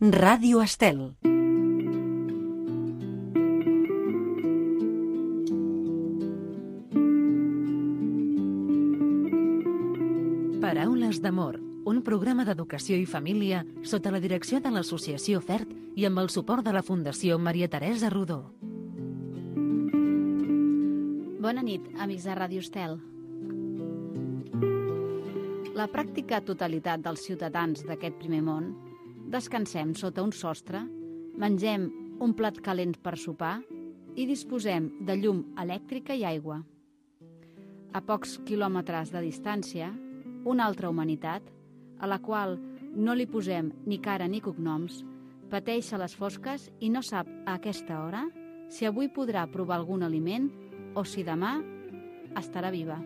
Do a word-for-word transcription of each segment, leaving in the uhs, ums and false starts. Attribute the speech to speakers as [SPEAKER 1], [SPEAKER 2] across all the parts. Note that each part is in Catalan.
[SPEAKER 1] Ràdio Estel. Paraules d'amor, un programa d'educació i família sota la direcció de l'Associació FERT i amb el suport de la Fundació Maria Teresa Rodó.
[SPEAKER 2] Bona nit, amics de Ràdio Estel. La pràctica totalitat dels ciutadans d'aquest primer món descansem sota un sostre, mengem un plat calent per sopar i disposem de llum elèctrica i aigua. A pocs quilòmetres de distància, una altra humanitat, a la qual no li posem ni cara ni cognoms, pateix a les fosques i no sap a aquesta hora si avui podrà provar algun aliment o si demà estarà viva.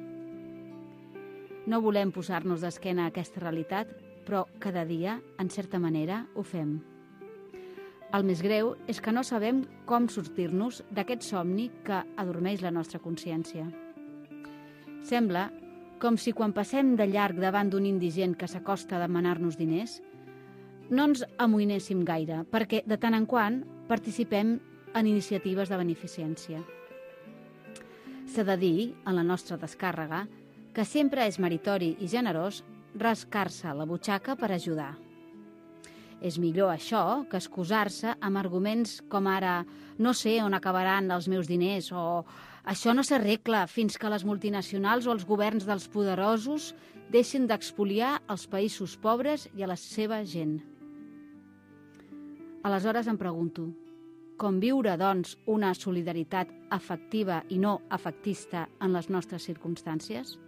[SPEAKER 2] No volem posar-nos d'esquena a aquesta realitat, però cada dia, en certa manera, ho fem. El més greu és que no sabem com sortir-nos d'aquest somni que adormeix la nostra consciència. Sembla com si quan passem de llarg davant d'un indigent que s'acosta a demanar-nos diners, no ens amoïnéssim gaire, perquè de tant en quant participem en iniciatives de beneficència. S'ha de dir, en la nostra descàrrega, que sempre és meritori i generós rascar-se la butxaca per ajudar. És millor això que excusar-se amb arguments com ara «no sé on acabaran els meus diners» o «això no s'arregla fins que les multinacionals o els governs dels poderosos deixin d'expoliar els països pobres i a la seva gent». Aleshores em pregunto, com viure, doncs, una solidaritat afectiva i no afectista en les nostres circumstàncies?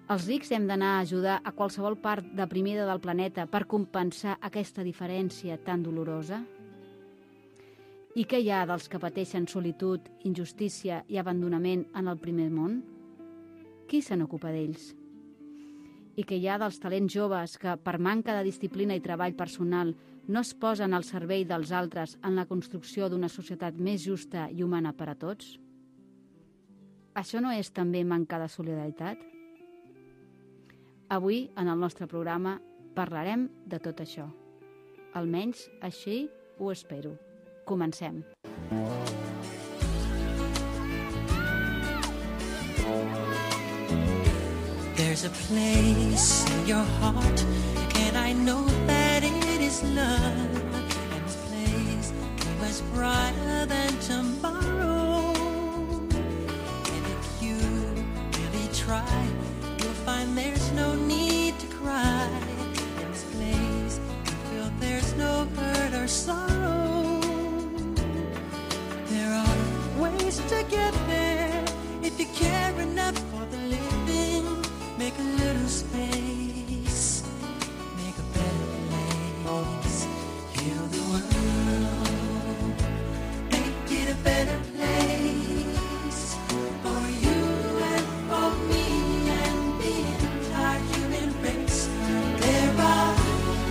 [SPEAKER 2] Els rics hem d'anar a ajudar a qualsevol part deprimida del planeta per compensar aquesta diferència tan dolorosa? I què hi ha dels que pateixen solitud, injustícia i abandonament en el primer món? Qui se n'ocupa d'ells? I què hi ha dels talents joves que, per manca de disciplina i treball personal, no es posen al servei dels altres en la construcció d'una societat més justa i humana per a tots? Això no és també manca de solidaritat? Avui, en el nostre programa, parlarem de tot això. Almenys així ho espero. Comencem.
[SPEAKER 3] There's a place in your heart, and I know that it is love. And this place is much brighter than tomorrow. And if you really try, you'll find there's no need to cry. In this place, you feel there's no hurt or sorrow. There are ways to get there if you care enough for the living. Make a little space, make a better place. Heal the world, make it a better place for you and for me and the entire human race. There are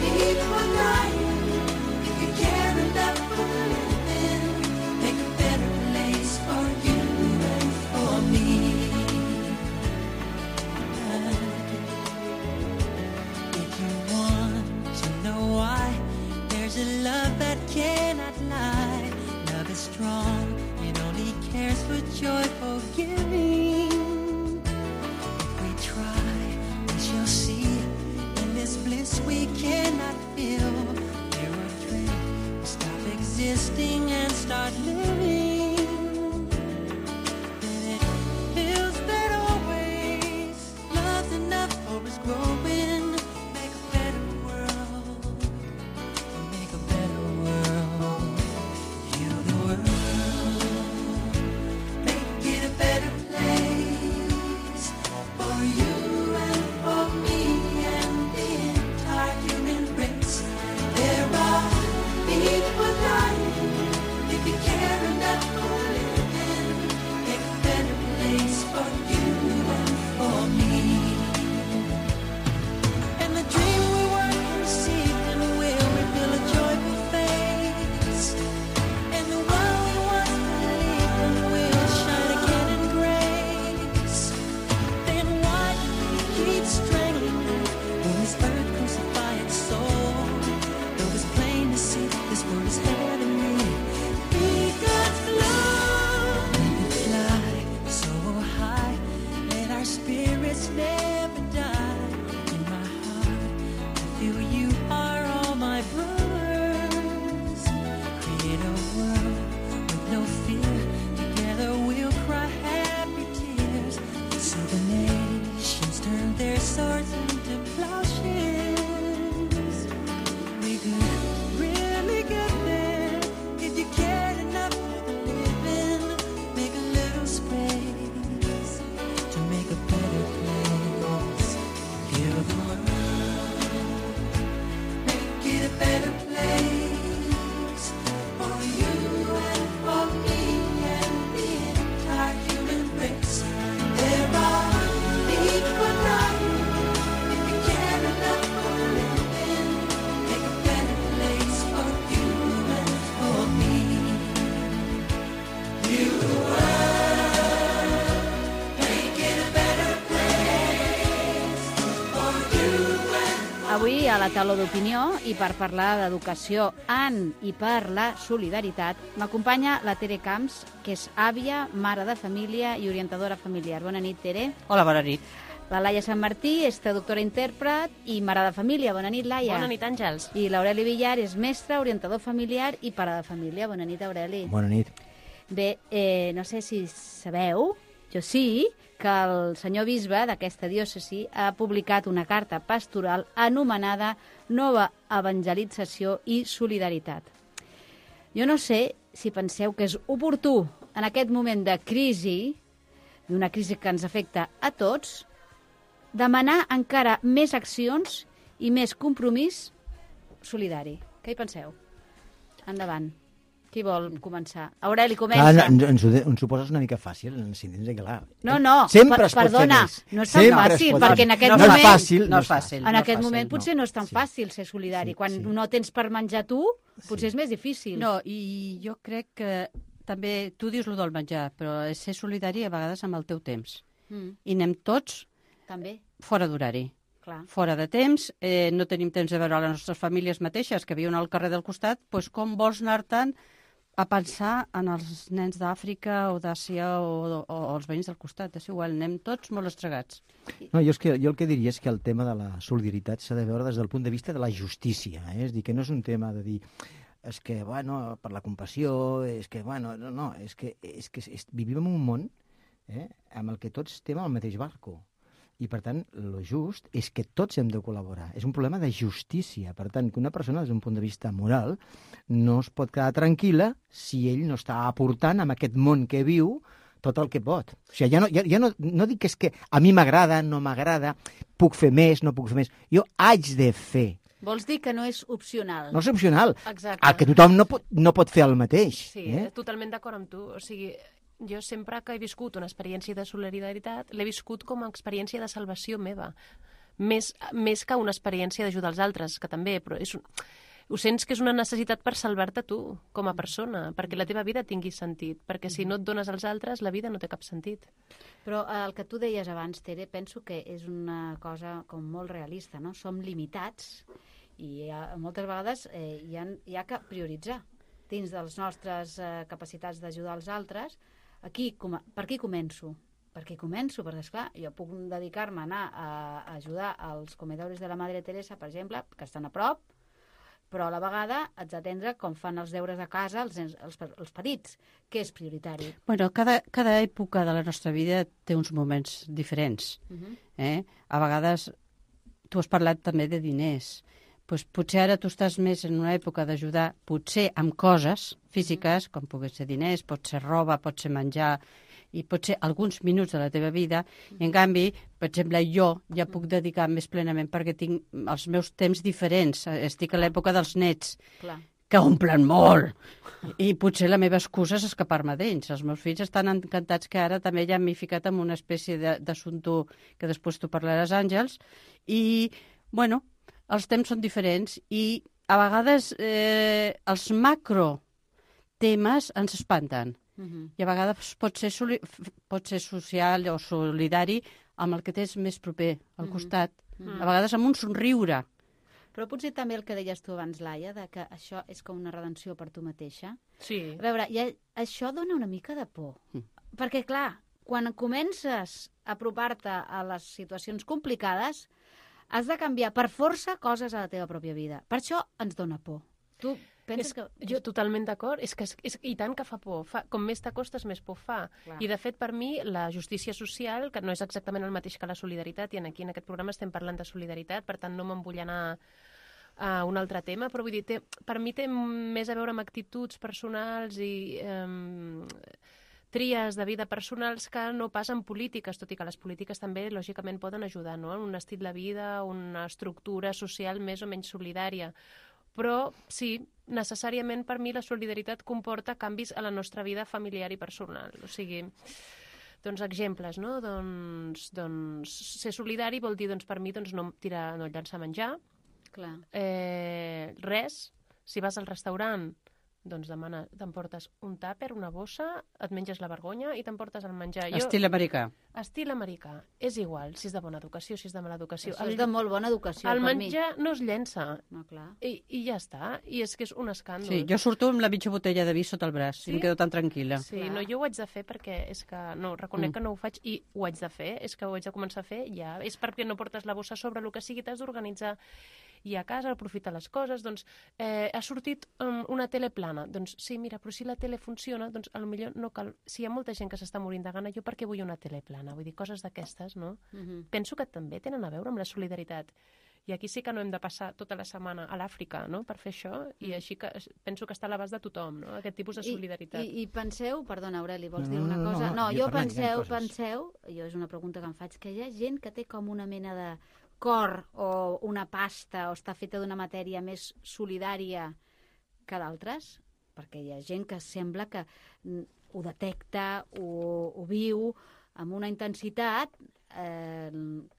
[SPEAKER 3] people dying. If you care enough for the living, make a better place for you and for me. There's a love that cannot lie. Love is strong, it only cares for joyful giving. If we try, we shall see. In this bliss we cannot feel. There are dreams, stop existing and start living. Then it feels that always love's enough for us growing. People dying. If you care enough better place for you and for me and the entire human race. There are need for dying if you care enough for living. Make a better place for you and for me. You world, make it a better place for you and
[SPEAKER 2] Avui a la taula d'opinió i per parlar d'educació en i per la solidaritat m'acompanya la Tere Camps, que és àvia, mare de família i orientadora familiar. Bona nit, Tere.
[SPEAKER 4] Hola, bona nit.
[SPEAKER 2] La Laia Sant Martí és traductora intèrpret i mare de família. Bona nit, Laia.
[SPEAKER 5] Bona nit, Àngels.
[SPEAKER 2] I l'Aureli Villar és mestre, orientador familiar i pare de família. Bona nit, Aureli.
[SPEAKER 6] Bona nit.
[SPEAKER 2] Bé, eh, no sé si sabeu, jo sí, que el senyor bisbe d'aquesta diòcesi ha publicat una carta pastoral anomenada Nova Evangelització i Solidaritat. Jo no sé si penseu que és oportú en aquest moment de crisi, d'una crisi que ens afecta a tots, demanar encara més accions i més compromís solidari. Què hi penseu? Endavant. Qui vol començar? Aureli, comença.
[SPEAKER 6] Clar, ens, ens, ho de, ens ho poses una mica fàcil, ens entens que clar.
[SPEAKER 2] No, no,
[SPEAKER 6] Sempre
[SPEAKER 2] per,
[SPEAKER 6] es pot
[SPEAKER 2] perdona,
[SPEAKER 6] fer més.
[SPEAKER 2] no és tan
[SPEAKER 6] Sempre es
[SPEAKER 2] fàcil,
[SPEAKER 6] pot
[SPEAKER 2] perquè
[SPEAKER 6] fer
[SPEAKER 2] en aquest
[SPEAKER 6] no
[SPEAKER 2] moment...
[SPEAKER 6] És fàcil,
[SPEAKER 4] no és fàcil.
[SPEAKER 2] En
[SPEAKER 4] no
[SPEAKER 2] aquest
[SPEAKER 4] fàcil,
[SPEAKER 2] moment potser no és tan
[SPEAKER 6] Sí.
[SPEAKER 2] fàcil ser solidari.
[SPEAKER 6] Sí,
[SPEAKER 2] Quan
[SPEAKER 6] sí.
[SPEAKER 2] no tens per menjar tu, potser
[SPEAKER 6] Sí.
[SPEAKER 2] és més difícil.
[SPEAKER 4] No, i jo crec que també, tu dius lo del menjar, però és ser solidari a vegades amb el teu temps.
[SPEAKER 2] Mm,
[SPEAKER 4] I anem tots
[SPEAKER 2] també,
[SPEAKER 4] fora d'horari,
[SPEAKER 2] clar.
[SPEAKER 4] fora de temps, eh, no tenim temps de veure les nostres famílies mateixes que viuen al carrer del costat, doncs com vols anar-te'n a pensar en els nens d'Àfrica o d'Àsia o, o, o els veïns del costat? És igual, anem tots molt estregats.
[SPEAKER 6] No, jo, és que, jo el que diria és que el tema de la solidaritat s'ha de veure des del punt de vista de la justícia. Eh? És dir, que no és un tema de dir és que, bueno, per la compassió, és que, bueno, no, no, és que, és que és, vivim en un món eh, amb el que tots estem al mateix barco. I, per tant, lo just és que tots hem de col·laborar. És un problema de justícia. Per tant, que una persona, des d'un punt de vista moral, no es pot quedar tranquil·la si ell no està aportant en aquest món que viu tot el que pot. O sigui, ja no, ja, ja no, no dic que és que a mi m'agrada, no m'agrada, puc fer més, no puc fer més. Jo haig de fer.
[SPEAKER 2] Vols dir que no és opcional?
[SPEAKER 6] No és opcional.
[SPEAKER 5] Exacte.
[SPEAKER 6] El que tothom no pot, no pot fer el mateix.
[SPEAKER 5] Sí,
[SPEAKER 6] eh?
[SPEAKER 5] totalment d'acord amb tu. O sigui, jo sempre que he viscut una experiència de solidaritat, l'he viscut com a experiència de salvació meva. Més, més que una experiència d'ajudar els altres, que també, però és un... ho sents que és una necessitat per salvar-te tu, com a persona, perquè la teva vida tingui sentit, perquè si no et dones als altres, la vida no té cap sentit.
[SPEAKER 2] Però eh, el que tu deies abans, Tere, penso que és una cosa com molt realista, no? Som limitats i ha, moltes vegades eh, hi, ha, hi ha que prioritzar dins de les nostres eh, capacitats d'ajudar els altres. Aquí, com, per qui començo? Per qui començo? Perquè, esclar, jo puc dedicar-me a anar a, a ajudar als comedores de la Madre Teresa, per exemple, que estan a prop, però a la vegada haig d'atendre com fan els deures a casa els, nens, els, els petits, que és prioritari.
[SPEAKER 4] Bueno, cada, cada època de la nostra vida té uns moments diferents.
[SPEAKER 2] Uh -huh.
[SPEAKER 4] Eh? A vegades, tu has parlat també de diners. Pues potser ara tu estàs més en una època d'ajudar, potser amb coses físiques, com pugui ser diners, pot ser roba, pot ser menjar, i pot ser alguns minuts de la teva vida, i en canvi, per exemple, jo ja puc dedicar més plenament perquè tinc els meus temps diferents. Estic a l'època dels nets,
[SPEAKER 2] Clar.
[SPEAKER 4] que omplen molt, i potser la meva excusa és escapar-me d'ells. Els meus fills estan encantats que ara també ja m'he ficat en una espècie de- d'assumpte que després tu parlaràs, Àngels, i, bueno, els temps són diferents i a vegades eh, els macro temes ens espanten.
[SPEAKER 2] Uh -huh.
[SPEAKER 4] I a vegades pot ser, soli pot ser social o solidari amb el que tens més proper al costat.
[SPEAKER 2] Mhm.
[SPEAKER 4] A vegades amb un somriure.
[SPEAKER 2] Però potser també el que deies tu abans, Laia, de que això és com una redenció per tu mateixa.
[SPEAKER 5] Sí.
[SPEAKER 2] A veure, ja, això dona una mica de por.
[SPEAKER 4] Mm.
[SPEAKER 2] Perquè, clar, quan comences a apropar-te a les situacions complicades, has de canviar per força coses a la teva pròpia vida. Per això ens dona por. Tu penses
[SPEAKER 5] És,
[SPEAKER 2] que...
[SPEAKER 5] Jo totalment d'acord, és que és, és, i tant que fa por, fa, com més t'acostes més por fa.
[SPEAKER 2] Clar.
[SPEAKER 5] I de fet per mi la justícia social, que no és exactament el mateix que la solidaritat, i aquí en aquest programa estem parlant de solidaritat, per tant no me'n vull anar a un altre tema, però vull dir, té, per mi té més a veure amb actituds personals i eh, tries de vida personals que no pas en polítiques, tot i que les polítiques també lògicament poden ajudar, no? En un estil de vida, una estructura social més o menys solidària. Però sí, necessàriament per mi la solidaritat comporta canvis a la nostra vida familiar i personal. O sigui, doncs exemples, no? Doncs, doncs ser solidari vol dir, doncs, per mi, doncs, no tirar, no llançar menjar.
[SPEAKER 2] Clar.
[SPEAKER 5] Eh, res. Si vas al restaurant, doncs demana, t'emportes un tàper, una bossa, et menges la vergonya i t'emportes el menjar. Jo,
[SPEAKER 4] Estil americà.
[SPEAKER 5] estil americà. És igual si és de bona educació, si és de mala educació.
[SPEAKER 2] Això és de molt bona educació,
[SPEAKER 5] el
[SPEAKER 2] per mi.
[SPEAKER 5] menjar no es llença.
[SPEAKER 2] No, clar.
[SPEAKER 5] I, I ja està. I és que és un escàndol.
[SPEAKER 4] Sí, jo surto amb la mitja botella de vi sota el braç
[SPEAKER 5] Sí?
[SPEAKER 4] i em quedo tan tranquil·la.
[SPEAKER 5] Sí,
[SPEAKER 2] Clar.
[SPEAKER 5] no, jo ho haig de fer perquè és que, no, reconec
[SPEAKER 4] Mm.
[SPEAKER 5] que no ho faig i ho haig de fer, és que ho haig de començar a fer ja. És perquè no portes la bossa sobre el que sigui, t'has d'organitzar. I a casa aprofitar les coses, doncs eh, ha sortit um, una tele plana, doncs sí, mira, però si la tele funciona, doncs potser no cal... Si hi ha molta gent que s'està morint de gana, jo per què vull una tele plana? Vull dir, coses d'aquestes, no?
[SPEAKER 2] Mhm.
[SPEAKER 5] Penso que també tenen a veure amb la solidaritat. I aquí sí que no hem de passar tota la setmana a l'Àfrica, no?, per fer això, i així que penso que està a l'abast de tothom, no?, aquest tipus de solidaritat.
[SPEAKER 2] I, i, i penseu, perdona, Aureli, vols
[SPEAKER 6] No,
[SPEAKER 2] dir
[SPEAKER 6] no,
[SPEAKER 2] una
[SPEAKER 6] no,
[SPEAKER 2] cosa?
[SPEAKER 6] no,
[SPEAKER 2] No,
[SPEAKER 6] jo
[SPEAKER 2] jo
[SPEAKER 6] parlant, hi ha
[SPEAKER 2] penseu,
[SPEAKER 6] coses.
[SPEAKER 2] penseu, jo és una pregunta que em faig, que hi ha gent que té com una mena de cor o una pasta o està feta d'una matèria més solidària que d'altres, perquè hi ha gent que sembla que mm, ho detecta, ho, ho viu amb una intensitat eh,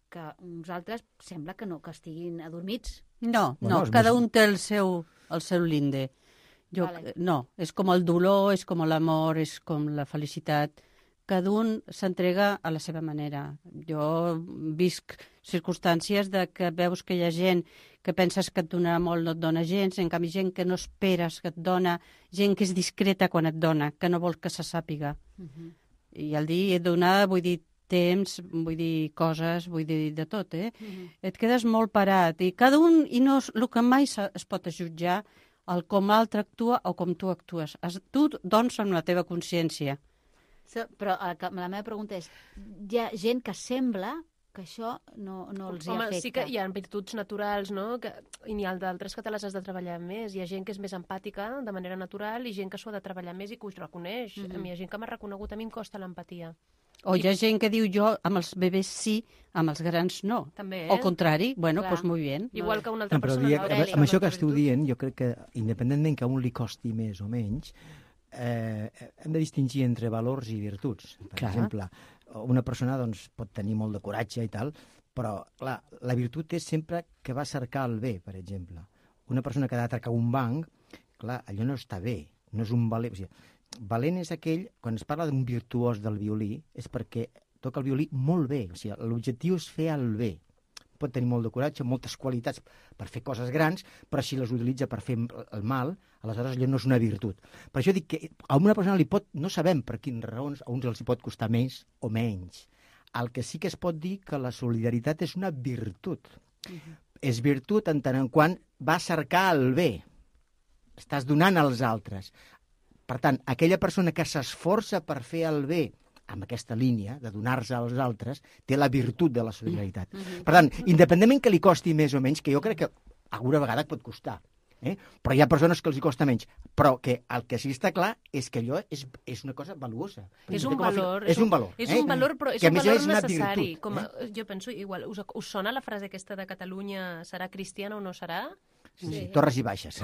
[SPEAKER 2] que uns altres sembla que no, que estiguin adormits.
[SPEAKER 4] No,
[SPEAKER 6] Bueno,
[SPEAKER 4] no,
[SPEAKER 6] és
[SPEAKER 4] cada
[SPEAKER 6] més-
[SPEAKER 4] un té el seu, el seu linde. Jo,
[SPEAKER 2] Vale.
[SPEAKER 4] No, és com el dolor, és com l'amor, és com la felicitat. Cada un s'entrega a la seva manera. Jo visc circumstàncies de que veus que hi ha gent que penses que et donarà molt, no et dona gens, en canvi gent que no esperes que et dona, gent que és discreta quan et dona, que no vol que se sàpiga.
[SPEAKER 2] Uh -huh.
[SPEAKER 4] I al dir donar, vull dir temps, vull dir coses, vull dir de tot, eh?
[SPEAKER 2] Uh -huh.
[SPEAKER 4] Et quedes molt parat i cada un, i no és el que mai se- es pot jutjar el com l'altre actua o com tu actues. Es, tu, doncs, amb la teva consciència.
[SPEAKER 2] So, però eh, que- la meva pregunta és, hi ha gent que sembla que això no, no els hi
[SPEAKER 5] Home,
[SPEAKER 2] afecta.
[SPEAKER 5] sí que hi ha virtuts naturals, no?, que, i n'hi ha d'altres que te les has de treballar més. Hi ha gent que és més empàtica de manera natural i gent que s'ho ha de treballar més i que ho reconeix.
[SPEAKER 2] Mhm.
[SPEAKER 5] A mi hi ha gent que m'ha reconegut, a mi em costa l'empatia.
[SPEAKER 4] O hi ha gent que diu jo amb els bebès sí, amb els grans no.
[SPEAKER 5] També,
[SPEAKER 4] O
[SPEAKER 5] eh?
[SPEAKER 4] al contrari, bueno,
[SPEAKER 2] Clar.
[SPEAKER 4] doncs molt bé.
[SPEAKER 5] Igual que una altra
[SPEAKER 6] No, però
[SPEAKER 5] persona.
[SPEAKER 6] diria,
[SPEAKER 5] no?
[SPEAKER 6] amb,
[SPEAKER 2] Aureli,
[SPEAKER 6] amb això que
[SPEAKER 5] una
[SPEAKER 6] esteu
[SPEAKER 5] virtut.
[SPEAKER 6] dient, jo crec que, independentment que a un li costi més o menys, eh, hem de distingir entre valors i virtuts. Per
[SPEAKER 4] Clar.
[SPEAKER 6] exemple, una persona doncs, pot tenir molt de coratge i tal, però clar, la virtut és sempre que va cercar el bé, per exemple. Una persona que ha d'atracar un banc, clar, allò no està bé, no és un valent. O sigui, valent és aquell, quan es parla d'un virtuós del violí, és perquè toca el violí molt bé. O sigui, l'objectiu és fer el bé. Pot tenir molt de coratge, moltes qualitats per fer coses grans, però si les utilitza per fer el mal, aleshores allò no és una virtut. Per això dic que a una persona li pot, no sabem per quines raons, a uns els hi pot costar més o menys. El que sí que es pot dir que la solidaritat és una virtut. Uh-huh. És virtut en tant en quant va cercar el bé. Estàs donant als altres. Per tant, aquella persona que s'esforça per fer el bé amb aquesta línia de donar-se als altres, té la virtut de la solidaritat. Uh-huh. Per tant, independentment que li costi més o menys, que jo crec que alguna vegada et pot costar, eh? Però hi ha persones que els hi costa menys. Però que el que sí està clar és que allò és, és una cosa valuosa.
[SPEAKER 5] És un
[SPEAKER 6] Com a fi-
[SPEAKER 5] valor.
[SPEAKER 6] És un valor.
[SPEAKER 5] És
[SPEAKER 6] eh?
[SPEAKER 5] un valor, però és
[SPEAKER 6] que a
[SPEAKER 5] un
[SPEAKER 6] més
[SPEAKER 5] valor
[SPEAKER 6] és una
[SPEAKER 5] necessari.
[SPEAKER 6] virtut,
[SPEAKER 5] Com a,
[SPEAKER 6] eh?
[SPEAKER 5] Jo penso, igual, us, us sona la frase aquesta de Catalunya serà cristiana o no serà?
[SPEAKER 6] Sí, sí. Torres i baixes.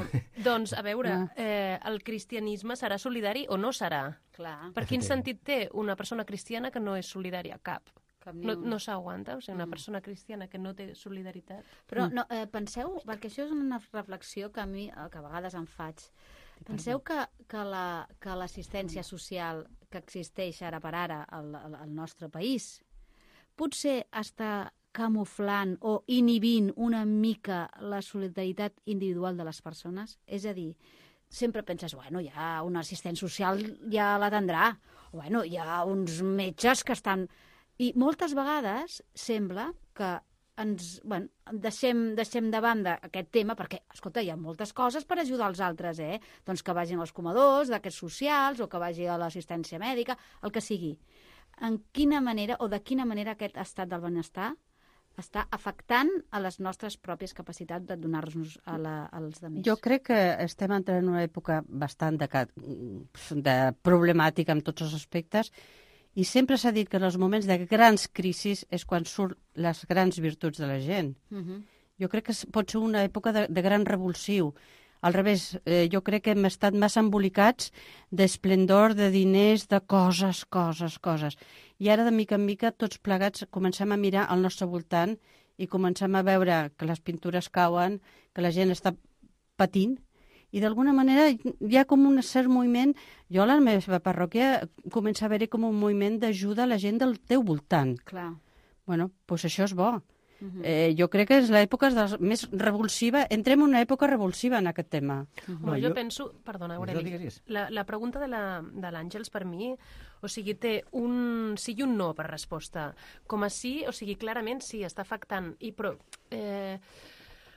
[SPEAKER 5] Doncs, a veure, eh, el cristianisme serà solidari o no serà?
[SPEAKER 2] Clar,
[SPEAKER 5] Per quin sentit té una persona cristiana que no és solidària? Cap.
[SPEAKER 2] cap ni
[SPEAKER 5] No,
[SPEAKER 2] un.
[SPEAKER 5] no s'aguanta, o sigui, una
[SPEAKER 2] Mm.
[SPEAKER 5] persona cristiana que no té solidaritat.
[SPEAKER 2] Però no, eh, penseu, perquè això és una reflexió que a mi eh, que a vegades em faig. Penseu que, que la- que l'assistència social que existeix ara per ara al, al, al nostre país potser està camuflant o inhibint una mica la solidaritat individual de les persones? És a dir, sempre penses, bueno, hi ha un assistent social, ja l'atendrà, o bueno, hi ha uns metges que estan... I moltes vegades sembla que ens, bueno, deixem, deixem de banda aquest tema, perquè, escolta, hi ha moltes coses per ajudar els altres, eh? Doncs que vagin als comedors, d'aquests socials, o que vagi a l'assistència mèdica, el que sigui. En quina manera, o de quina manera aquest estat del benestar està afectant a les nostres pròpies capacitats de donar-nos a la, als altres?
[SPEAKER 4] Jo crec que estem entrant en una època bastant de, ca- de problemàtica en tots els aspectes i sempre s'ha dit que en els moments de grans crisis és quan surt les grans virtuts de la gent.
[SPEAKER 2] Uh -huh.
[SPEAKER 4] Jo crec que es- pot ser una època de, de gran revulsiu. Al revés, eh, jo crec que hem estat massa embolicats d'esplendor, de diners, de coses, coses, coses. I ara, de mica en mica, tots plegats comencem a mirar al nostre voltant i comencem a veure que les pintures cauen, que la gent està patint, i d'alguna manera hi ha com un cert moviment. Jo a la meva parròquia comença a haver-hi com un moviment d'ajuda a la gent del teu voltant.
[SPEAKER 2] Clar.
[SPEAKER 4] Bueno, doncs això és bo.
[SPEAKER 2] Uh-huh.
[SPEAKER 4] Eh, jo crec que és l'època més revulsiva, entrem en una època revulsiva en aquest tema.
[SPEAKER 5] Uh-huh.
[SPEAKER 6] No,
[SPEAKER 5] jo,
[SPEAKER 6] jo-
[SPEAKER 5] penso, perdona,
[SPEAKER 6] Digues,
[SPEAKER 5] Aureli,
[SPEAKER 6] digues, digues.
[SPEAKER 5] la, la pregunta de la- de l'Àngels per mi, o sigui, té un sí i un no per resposta. Com a sí, o sigui, clarament sí, està afectant, i però... Eh,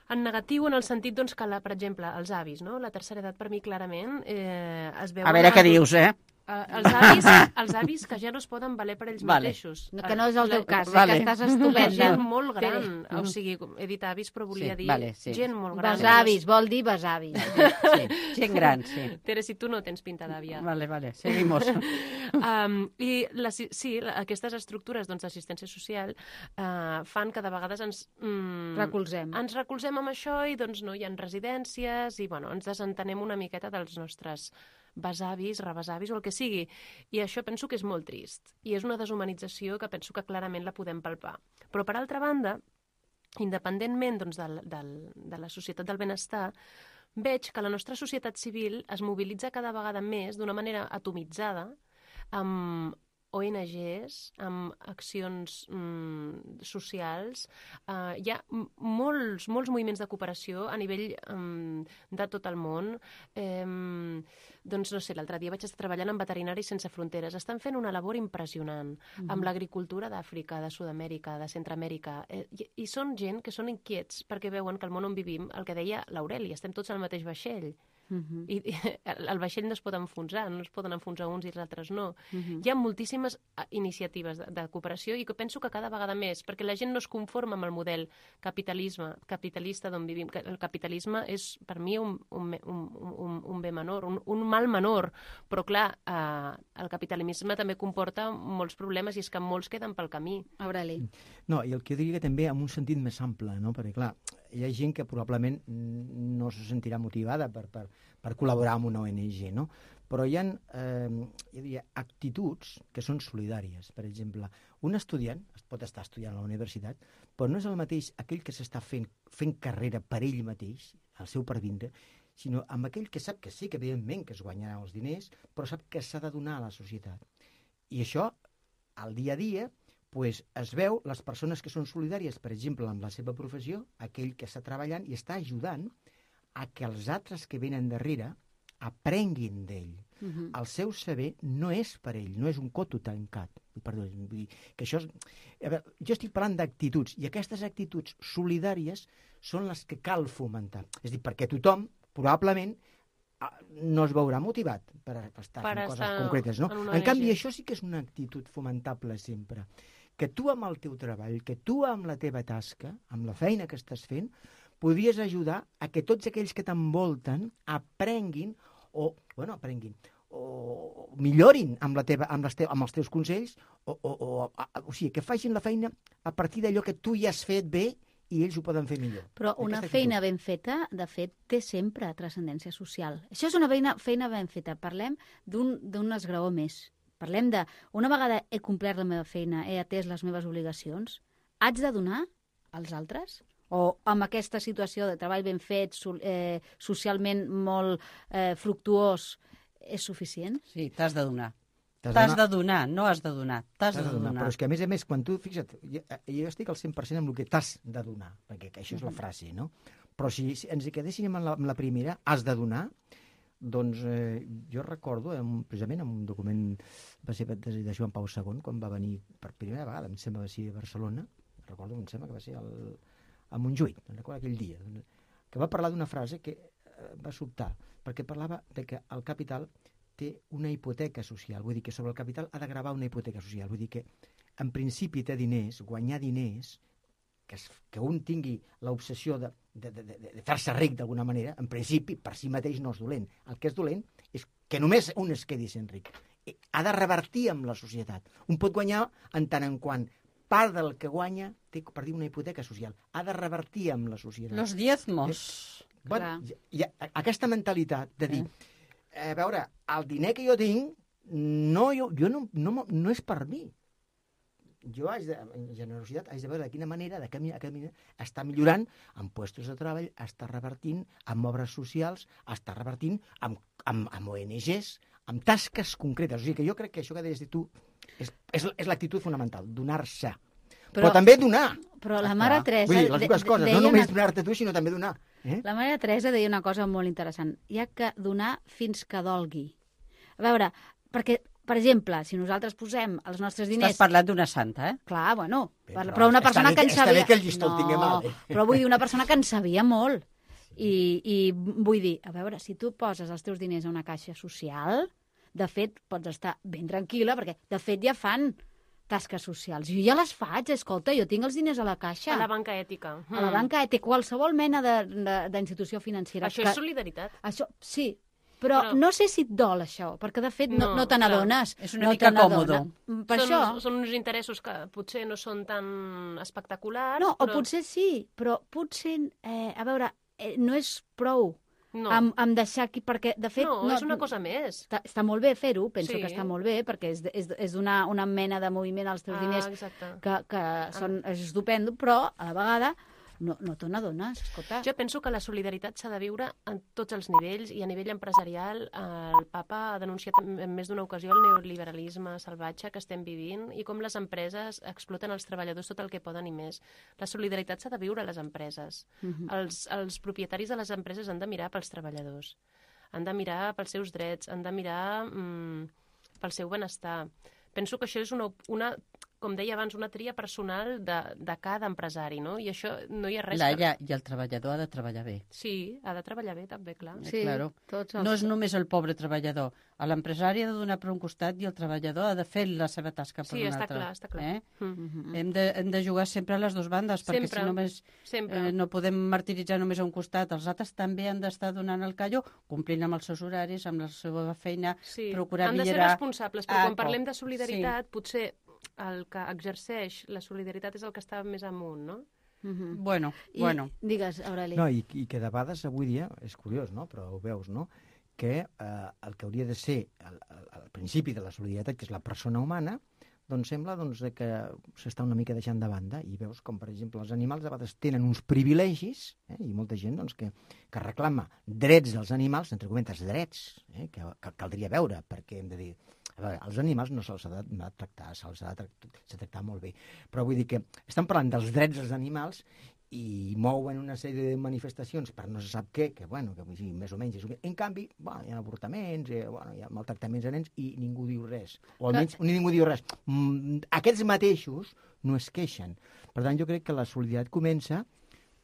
[SPEAKER 5] en negatiu, en el sentit doncs, que, la, per exemple, els avis, no? La tercera edat, per mi, clarament, eh, es veu...
[SPEAKER 4] A veure què dius, eh?
[SPEAKER 5] Uh, els, avis, els avis que ja no es poden valer per ells
[SPEAKER 4] Vale.
[SPEAKER 5] mateixos.
[SPEAKER 2] No, que no és el teu
[SPEAKER 5] La-
[SPEAKER 2] cas,
[SPEAKER 4] Vale.
[SPEAKER 2] eh, que estàs
[SPEAKER 5] La
[SPEAKER 2] estupenda.
[SPEAKER 5] gent molt gran,
[SPEAKER 2] Tere.
[SPEAKER 5] o sigui, he dit avis, però volia
[SPEAKER 4] Sí,
[SPEAKER 5] dir
[SPEAKER 4] vale, sí.
[SPEAKER 5] gent molt gran.
[SPEAKER 2] Besavis, vol dir besavis.
[SPEAKER 4] Sí, gent gran, sí.
[SPEAKER 5] Tere, si tu no tens pinta d'àvia.
[SPEAKER 4] Vale, vale, seguimos.
[SPEAKER 5] Um, I la, sí, la, aquestes estructures doncs, d'assistència social uh, fan que de vegades ens... Mm,
[SPEAKER 2] Recolzem.
[SPEAKER 5] Ens recolzem amb això i doncs no hi ha residències i bueno, ens desentenem una miqueta dels nostres besavis, rebesavis o el que sigui. I això penso que és molt trist. I és una deshumanització que penso que clarament la podem palpar. Però per altra banda, independentment doncs, del, del, de la societat del benestar, veig que la nostra societat civil es mobilitza cada vegada més d'una manera atomitzada amb O N Ges, amb accions mm, socials. Uh, hi ha m- molts, molts moviments de cooperació a nivell um, de tot el món. Um, doncs no sé, l'altre dia vaig estar treballant amb Veterinaris Sense Fronteres. Estan fent una labor impressionant mm-hmm. amb l'agricultura d'Àfrica, de Sud-amèrica, de Centroamèrica. Eh, i, I són gent que són inquiets perquè veuen que el món on vivim, el que deia l'Aureli, estem tots al mateix vaixell.
[SPEAKER 2] Uh-huh.
[SPEAKER 5] I, i el, el vaixell no es pot enfonsar, no es poden enfonsar uns i els altres no.
[SPEAKER 2] Uh-huh.
[SPEAKER 5] Hi ha moltíssimes eh, iniciatives de, de cooperació i que penso que cada vegada més, perquè la gent no es conforma amb el model capitalisme, capitalista d'on vivim. Que El capitalisme és, per mi, un, un, un, un, un bé menor, un, un mal menor, però clar, eh, el capitalisme també comporta molts problemes i és que molts queden pel camí.
[SPEAKER 2] Aureli.
[SPEAKER 6] No, i el que jo diria que també amb un sentit més ample, no? Perquè, clar, hi ha gent que probablement no se sentirà motivada per, per, per col·laborar amb una O N G, no? Però hi ha, eh, jo diria, actituds que són solidàries. Per exemple, un estudiant es pot estar estudiant a la universitat, però no és el mateix aquell que s'està fent, fent carrera per ell mateix, el seu pervindre, sinó amb aquell que sap que sí, que evidentment que es guanyarà els diners, però sap que s'ha de donar a la societat. I això, al dia a dia, pues, es veu les persones que són solidàries, per exemple, amb la seva professió, aquell que està treballant i està ajudant a que els altres que venen darrere aprenguin d'ell.
[SPEAKER 2] Uh-huh.
[SPEAKER 6] El seu saber no és per ell, no és un coto tancat. Perdó, vull dir que això és... A veure, jo estic parlant d'actituds, i aquestes actituds solidàries són les que cal fomentar. És a dir, perquè tothom, probablement, ah, no es veurà motivat per, per estar
[SPEAKER 5] Per
[SPEAKER 6] fent
[SPEAKER 5] estar
[SPEAKER 6] coses concretes, no?
[SPEAKER 5] en una
[SPEAKER 6] En canvi,
[SPEAKER 5] O N G.
[SPEAKER 6] això sí que és una actitud fomentable sempre. Que tu amb el teu treball, que tu amb la teva tasca, amb la feina que estàs fent, podries ajudar a que tots aquells que t'envolten aprenguin o, bueno, aprenguin, o millorin amb, la teva, amb, les te amb els teus consells, o, o, o, a, o sigui, que facin la feina a partir d'allò que tu ja has fet bé i ells ho poden fer millor.
[SPEAKER 2] Però una
[SPEAKER 6] Aquesta
[SPEAKER 2] feina
[SPEAKER 6] actitud.
[SPEAKER 2] ben feta, de fet, té sempre transcendència social. Això és una feina, feina ben feta. Parlem d'un d'un esgraó més. Parlem de, una vegada he complert la meva feina, he atès les meves obligacions, haig de donar als altres? O amb aquesta situació de treball ben fet, so, eh, socialment molt eh, fructuós, és suficient?
[SPEAKER 4] Sí, t'has de donar.
[SPEAKER 6] T'has
[SPEAKER 4] T'has
[SPEAKER 6] d'anar-
[SPEAKER 4] de donar, no has de donar. T'has de
[SPEAKER 6] T'has de donar.
[SPEAKER 4] donar.
[SPEAKER 6] Però és que, a més a més, quan tu, fixa't, jo, jo estic al cent per cent amb el que t'has de donar, perquè que això és la frase, no? Però si, si ens hi quedéssim amb la, amb la primera, has de donar, doncs eh, jo recordo, en, precisament en un document va ser de, de Joan Pau segon, quan va venir per primera vegada, em sembla que va ser a Barcelona, recordo, em sembla que va ser el, a Montjuïc, no recordo aquell dia, que va parlar d'una frase que eh, va sobtar, perquè parlava de que el capital té una hipoteca social, vull dir que sobre el capital ha de gravar una hipoteca social, vull dir que en principi té diners, guanyar diners, que, es, que un tingui l'obsessió de, de, de, de, de fer-se ric d'alguna manera, en principi per si mateix no és dolent. El que és dolent és que només un es quedi sent ric. I ha de revertir amb la societat. Un pot guanyar en tant en quant part del que guanya té, per dir, una hipoteca social. Ha de revertir amb la societat.
[SPEAKER 4] Los diezmos.
[SPEAKER 6] Bueno, hi ha aquesta mentalitat de dir, a veure, el diner que jo tinc, no, jo, jo no, no, no és per mi. Jo, haig de, en generositat, haig de veure de quina manera, de quina manera està millorant amb puestos de treball, està revertint amb obres socials, està revertint amb, amb, amb O N Ges, amb tasques concretes. O sigui que jo crec que això que deies de tu és, és, és l'actitud fonamental, donar-se. Però, però també donar.
[SPEAKER 2] Però la mare Teresa...
[SPEAKER 6] Vull dir, les dues coses, no només donar-te tu, sinó també donar. Eh?
[SPEAKER 2] La mare Teresa deia una cosa molt interessant. Hi ha que donar fins que dolgui. A veure, perquè... Per exemple, si nosaltres posem els nostres diners...
[SPEAKER 4] Estàs parlant d'una santa, eh?
[SPEAKER 2] Clar, bueno,
[SPEAKER 6] Bé,
[SPEAKER 2] però,
[SPEAKER 6] però
[SPEAKER 2] però una persona
[SPEAKER 6] bé,
[SPEAKER 2] que en sabia...
[SPEAKER 6] Està bé que el llistó el tingui mal. Eh?
[SPEAKER 2] Però vull dir, una persona que en sabia molt. I, I vull dir, a veure, si tu poses els teus diners a una caixa social, de fet, pots estar ben tranquil·la, perquè, de fet, ja fan tasques socials. Jo ja les faig, escolta, jo tinc els diners a la caixa.
[SPEAKER 5] A la banca ètica.
[SPEAKER 2] A la banca ètica, qualsevol mena d'institució financera.
[SPEAKER 5] Això
[SPEAKER 2] que...
[SPEAKER 5] és solidaritat.
[SPEAKER 2] Això, sí, Però, però no sé si et dol això, perquè de fet no,
[SPEAKER 5] no,
[SPEAKER 2] no te n'adones.
[SPEAKER 4] És una
[SPEAKER 2] no
[SPEAKER 4] mica còmode.
[SPEAKER 2] Per
[SPEAKER 5] són,
[SPEAKER 2] això...
[SPEAKER 5] són uns interessos que potser no són tan espectaculars.
[SPEAKER 2] No,
[SPEAKER 5] però...
[SPEAKER 2] o potser sí, però potser, eh, a veure, eh, no és prou
[SPEAKER 5] no.
[SPEAKER 2] amb, amb deixar aquí, perquè de fet...
[SPEAKER 5] No, no és una cosa més.
[SPEAKER 2] Està, està molt bé fer-ho, penso
[SPEAKER 5] sí.
[SPEAKER 2] que està molt bé, perquè és, és, és una, una mena de moviment als teus
[SPEAKER 5] ah,
[SPEAKER 2] diners
[SPEAKER 5] exacte.
[SPEAKER 2] que, que són, és estupendo, però a la vegada... No, no te n'adones, escolta.
[SPEAKER 5] Jo penso que la solidaritat s'ha de viure en tots els nivells i a nivell empresarial el papa ha denunciat en més d'una ocasió el neoliberalisme salvatge que estem vivint i com les empreses exploten els treballadors tot el que poden i més. La solidaritat s'ha de viure a les empreses. Uh-huh. els, els propietaris de les empreses han de mirar pels treballadors, han de mirar pels seus drets, han de mirar mm, pel seu benestar. Penso que això és una, una com deia abans, una tria personal de, de cada empresari, no? I això no hi ha res...
[SPEAKER 4] Laia, per... I el treballador ha de treballar bé.
[SPEAKER 5] Sí, ha de treballar bé, també, clar.
[SPEAKER 2] Sí,
[SPEAKER 4] claro.
[SPEAKER 2] tots els...
[SPEAKER 4] No és només el pobre treballador. L'empresari ha de donar per un costat i el treballador ha de fer la seva tasca per
[SPEAKER 5] sí,
[SPEAKER 4] un
[SPEAKER 5] està
[SPEAKER 4] altre.
[SPEAKER 5] Clar, està clar.
[SPEAKER 4] Eh?
[SPEAKER 2] Mm-hmm.
[SPEAKER 4] Hem, de, hem de jugar sempre a les dues bandes, perquè
[SPEAKER 5] sempre.
[SPEAKER 4] si només eh, no podem martiritzar només a un costat. Els altres també han d'estar donant el callo, complint amb els seus horaris, amb la seva feina,
[SPEAKER 5] sí.
[SPEAKER 4] procurar
[SPEAKER 5] millorar... Han de ser responsables, però
[SPEAKER 4] ah,
[SPEAKER 5] quan parlem de solidaritat,
[SPEAKER 4] sí.
[SPEAKER 5] potser el que exerceix la solidaritat és el que està més amunt, no?
[SPEAKER 2] Mm-hmm.
[SPEAKER 4] Bueno,
[SPEAKER 2] I,
[SPEAKER 4] bueno.
[SPEAKER 2] Digues, Aureli.
[SPEAKER 6] No, i, i que de vegades avui dia, és curiós, no?, però ho veus, no?, que eh, el que hauria de ser el, el, el principi de la solidaritat, que és la persona humana, doncs sembla doncs, que s'està una mica deixant de banda i veus com, per exemple, els animals a vegades tenen uns privilegis, eh, i molta gent doncs, que, que reclama drets dels animals, entre comentes drets, eh, que, que caldria veure, perquè hem de dir... A veure, els animals no se'ls ha de tractar, se'ls ha de tractar, tractar molt bé. Però vull dir que estan parlant dels drets dels animals i mouen una sèrie de manifestacions per no se sap què, que, bueno, que sí, més o menys és... En canvi, bueno, hi ha avortaments, eh, bueno, hi ha maltractaments a nens i ningú diu res. O almenys que... ningú diu res. Mm, aquests mateixos no es queixen. Per tant, jo crec que la solidaritat comença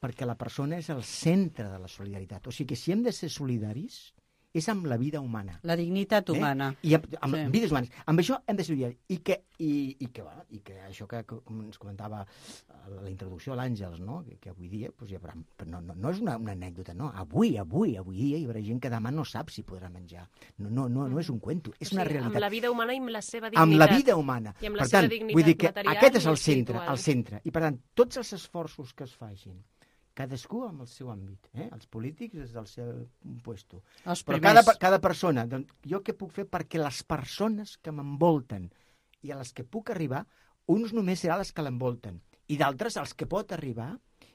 [SPEAKER 6] perquè la persona és el centre de la solidaritat. O sigui que si hem de ser solidaris... és amb la vida humana.
[SPEAKER 4] La dignitat humana.
[SPEAKER 6] Eh? I amb, amb sí. vides humanes. Amb això hem de ser solidaris. I que, i, i que, bueno, i que això que com ens comentava a la introducció l'Àngels, no? que, que avui dia pues, hi haurà... No, no, no és una, una anècdota, no. Avui, avui, avui dia hi haurà gent que demà no sap si podrà menjar. No, no, no, no és un cuento, és o sigui, una realitat.
[SPEAKER 5] Amb la vida humana i amb la seva dignitat.
[SPEAKER 6] Amb la vida humana.
[SPEAKER 5] I amb la
[SPEAKER 6] per
[SPEAKER 5] seva
[SPEAKER 6] tant,
[SPEAKER 5] dignitat
[SPEAKER 6] vull dir que
[SPEAKER 5] material
[SPEAKER 6] aquest és el
[SPEAKER 5] i
[SPEAKER 6] centre,
[SPEAKER 5] espiritual.
[SPEAKER 6] el centre. I per tant, tots els esforços que es facin, cadascú amb el seu àmbit, eh? Els polítics des del seu puesto.
[SPEAKER 4] Els
[SPEAKER 6] Però
[SPEAKER 4] primers.
[SPEAKER 6] cada, cada persona, doncs, jo què puc fer perquè les persones que m'envolten i a les que puc arribar, uns només seran les que l'envolten i d'altres els que pot arribar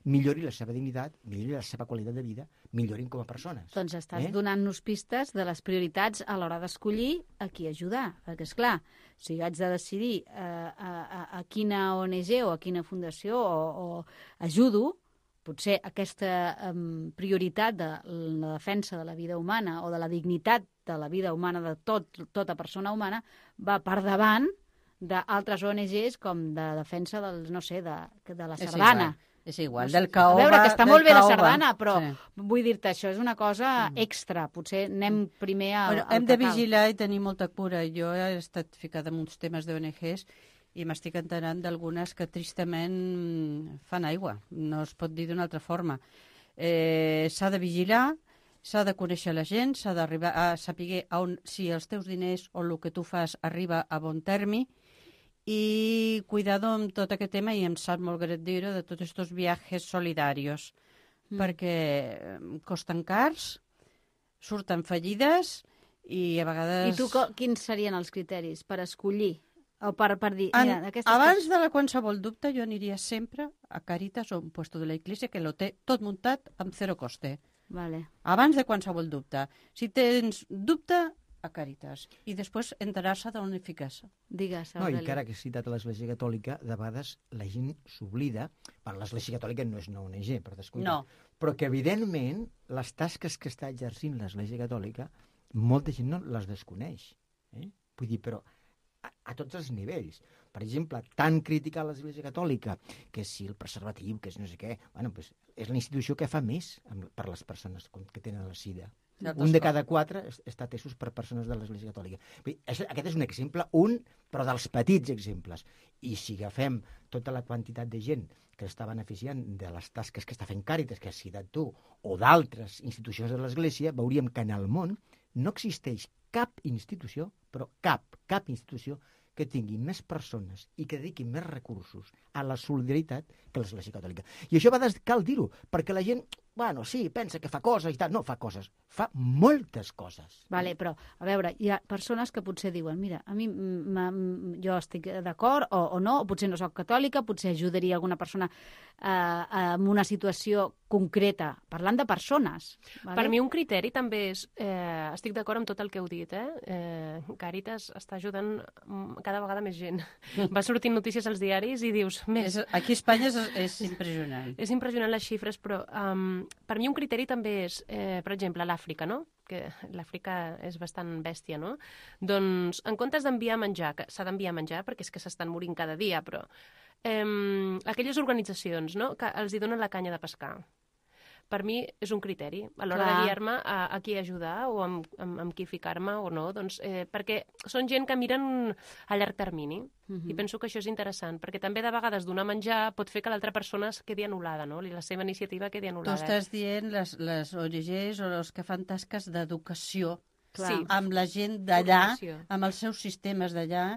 [SPEAKER 6] millori la seva dignitat, millori la seva qualitat de vida, millorin com a persones.
[SPEAKER 2] Doncs estàs
[SPEAKER 6] eh?
[SPEAKER 2] donant-nos pistes de les prioritats a l'hora d'escollir a qui ajudar. Perquè, esclar, si jo haig de decidir eh, a, a, a quina O N G o a quina fundació o, o ajudo, potser aquesta um, prioritat de la defensa de la vida humana o de la dignitat de la vida humana de tot, tota persona humana va per davant d'altres O N Gs com de defensa dels, no sé, de, de la sardana.
[SPEAKER 4] És igual, del caoba...
[SPEAKER 2] A veure, que està molt bé la
[SPEAKER 4] caoba.
[SPEAKER 2] sardana, però
[SPEAKER 4] sí.
[SPEAKER 2] vull dir-te, això és una cosa extra. Potser anem primer al,
[SPEAKER 4] bueno,
[SPEAKER 2] al
[SPEAKER 4] hem
[SPEAKER 2] que
[SPEAKER 4] de
[SPEAKER 2] cal.
[SPEAKER 4] vigilar i tenir molta cura. Jo he estat ficada en uns temes d'O N Gs i m'estic enterant d'algunes que tristament fan aigua. No es pot dir d'una altra forma. Eh, s'ha de vigilar, s'ha de conèixer la gent, s'ha d'arribar a saber on, si els teus diners o el que tu fas arriba a bon termi, i cuidado amb tot aquest tema, i em sap molt greu dir-ho, de tots aquests viatges solidaris. mm. perquè costen cars, surten fallides i a vegades...
[SPEAKER 2] I tu, quins serien els criteris per escollir? O per, per dir,
[SPEAKER 4] en,
[SPEAKER 2] mira, aquestes
[SPEAKER 4] abans
[SPEAKER 2] coses...
[SPEAKER 4] de la qualsevol dubte jo aniria sempre a Càritas o a un puesto de la Iglesia que lo té tot muntat amb zero coste.
[SPEAKER 2] Vale.
[SPEAKER 4] Abans de qualsevol dubte. Si tens dubte, a Càritas. I després enterar-se d'on hi fiques.
[SPEAKER 2] Digues,
[SPEAKER 6] No, i
[SPEAKER 2] Aureli.
[SPEAKER 6] encara que he citat a l'Església Catòlica, de vegades la gent s'oblida, bueno, l'Església Catòlica no és una O N G, per descomptat,
[SPEAKER 4] No.
[SPEAKER 6] però que evidentment les tasques que està exercint l'Església Catòlica, molta gent no les desconeix. Eh? Vull dir, però a, a tots els nivells. Per exemple, tan criticar l'Església Catòlica, que si el preservatiu, que és no sé què, bueno, pues, és la institució que fa més amb, per les persones que tenen la sida. Un de cada quatre està atesos per persones de l'Església Catòlica. Aquest és un exemple, un, però dels petits exemples. I si agafem tota la quantitat de gent que està beneficiant de les tasques que està fent Càritas, que has citat tu, o d'altres institucions de l'Església, veuríem que en el món no existeix cap institució, però cap, cap institució que tingui més persones i que dediqui més recursos a la solidaritat que l'Església Catòlica. I això va des... cal dir-ho, perquè la gent, bueno, sí, pensa que fa coses i tal. No, fa coses. Fa moltes coses.
[SPEAKER 2] Vale, però, a veure, hi ha persones que potser diuen, mira, a mi jo estic d'acord o, o no, o potser no soc catòlica, potser ajudaria alguna persona eh, en una situació concreta, parlant de persones. Vale?
[SPEAKER 5] Per mi un criteri també és, eh, estic d'acord amb tot el que heu dit, eh? eh Càritas està ajudant cada vegada més gent. Va sortint notícies als diaris i dius, més...
[SPEAKER 4] És, aquí a Espanya és, és impressionant.
[SPEAKER 5] És impressionant les xifres, però um, per mi un criteri també és, eh, per exemple, l'Àfrica, no? Que l'Àfrica és bastant bèstia, no? Doncs, en comptes d'enviar menjar, que s'ha d'enviar menjar perquè és que s'estan morint cada dia, però eh, aquelles organitzacions, no?, que els hi donen la canya de pescar. Per mi és un criteri, a l'hora
[SPEAKER 2] Clar.
[SPEAKER 5] de guiar-me a, a qui ajudar o amb, amb, amb qui ficar-me o no, doncs, eh, perquè són gent que miren a llarg termini.
[SPEAKER 2] Mhm.
[SPEAKER 5] I penso que això és interessant, perquè també de vegades donar menjar pot fer que l'altra persona es quedi anul·lada, no? I la seva iniciativa quedi
[SPEAKER 4] Tu
[SPEAKER 5] anul·lada.
[SPEAKER 4] estàs dient les, les O N Gs o els que fan tasques d'educació
[SPEAKER 2] Clar.
[SPEAKER 5] Sí.
[SPEAKER 4] amb la gent d'allà,
[SPEAKER 5] Formació.
[SPEAKER 4] amb els seus sistemes d'allà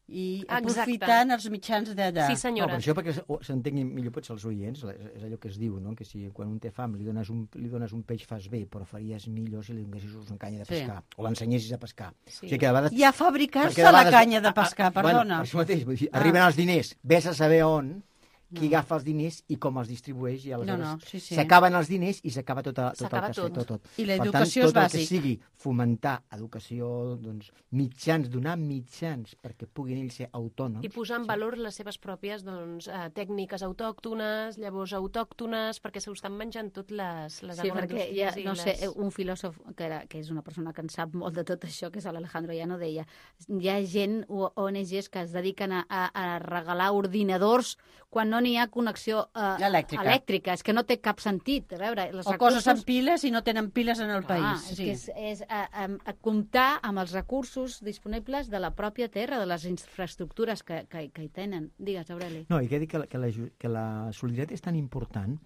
[SPEAKER 4] i
[SPEAKER 5] Exacte.
[SPEAKER 4] aprofitant els mitjans d'allà.
[SPEAKER 5] Sí,
[SPEAKER 6] No,
[SPEAKER 5] senyora.
[SPEAKER 6] per això, perquè s'entengui millor potser els oients, és allò que es diu, no? Que si quan un té fam li dones un, li dones un peix fas bé, però faries millor si li donessis una canya de
[SPEAKER 4] Sí.
[SPEAKER 6] pescar, o l'ensenyessis a pescar.
[SPEAKER 5] Sí.
[SPEAKER 6] O sigui que a vegades...
[SPEAKER 4] I a fabricar-se
[SPEAKER 6] perquè de
[SPEAKER 4] la
[SPEAKER 6] vegades-
[SPEAKER 4] canya de
[SPEAKER 6] ah,
[SPEAKER 4] pescar,
[SPEAKER 6] ah,
[SPEAKER 4] perdona.
[SPEAKER 6] Bueno, per això mateix, vull dir,
[SPEAKER 4] Ah.
[SPEAKER 6] arriben els diners, ves a saber on, qui agafa els diners i com els distribueix, i aleshores
[SPEAKER 4] No, no, sí, sí.
[SPEAKER 6] s'acaben els diners i s'acaba tot, a- tot el
[SPEAKER 5] S'acaba
[SPEAKER 6] que
[SPEAKER 5] tot.
[SPEAKER 6] tot, tot.
[SPEAKER 4] I la
[SPEAKER 6] Per
[SPEAKER 4] educació
[SPEAKER 6] tant,
[SPEAKER 4] és
[SPEAKER 6] tot el
[SPEAKER 4] bàsic.
[SPEAKER 6] que sigui fomentar educació, doncs, mitjans, donar mitjans perquè puguin ells ser autònoms.
[SPEAKER 5] I posar en valor les seves pròpies doncs, eh, tècniques autòctones, llavors autòctones, perquè s'ho estan menjant tot les, les
[SPEAKER 2] Sí, perquè hi ha,
[SPEAKER 5] agroindústries i
[SPEAKER 2] no sé,
[SPEAKER 5] les...
[SPEAKER 2] un filòsof que, era, que és una persona que en sap molt de tot això, que és l'Alejandro Llano, deia hi ha gent, o O N Gs, que es dediquen a, a, a regalar ordinadors quan no n'hi ha connexió eh,
[SPEAKER 4] Elèctrica.
[SPEAKER 2] elèctrica. És que no té cap sentit. A veure, els
[SPEAKER 4] O
[SPEAKER 2] recursos...
[SPEAKER 4] coses amb piles i no tenen piles en el
[SPEAKER 2] Clar,
[SPEAKER 4] país.
[SPEAKER 2] és
[SPEAKER 4] Sí.
[SPEAKER 2] que és, és a, a, a comptar amb els recursos disponibles de la pròpia terra, de les infraestructures que, que, que hi tenen. Digues, Aureli.
[SPEAKER 6] No, i que dic que la, que la, ju- que la solidaritat és tan important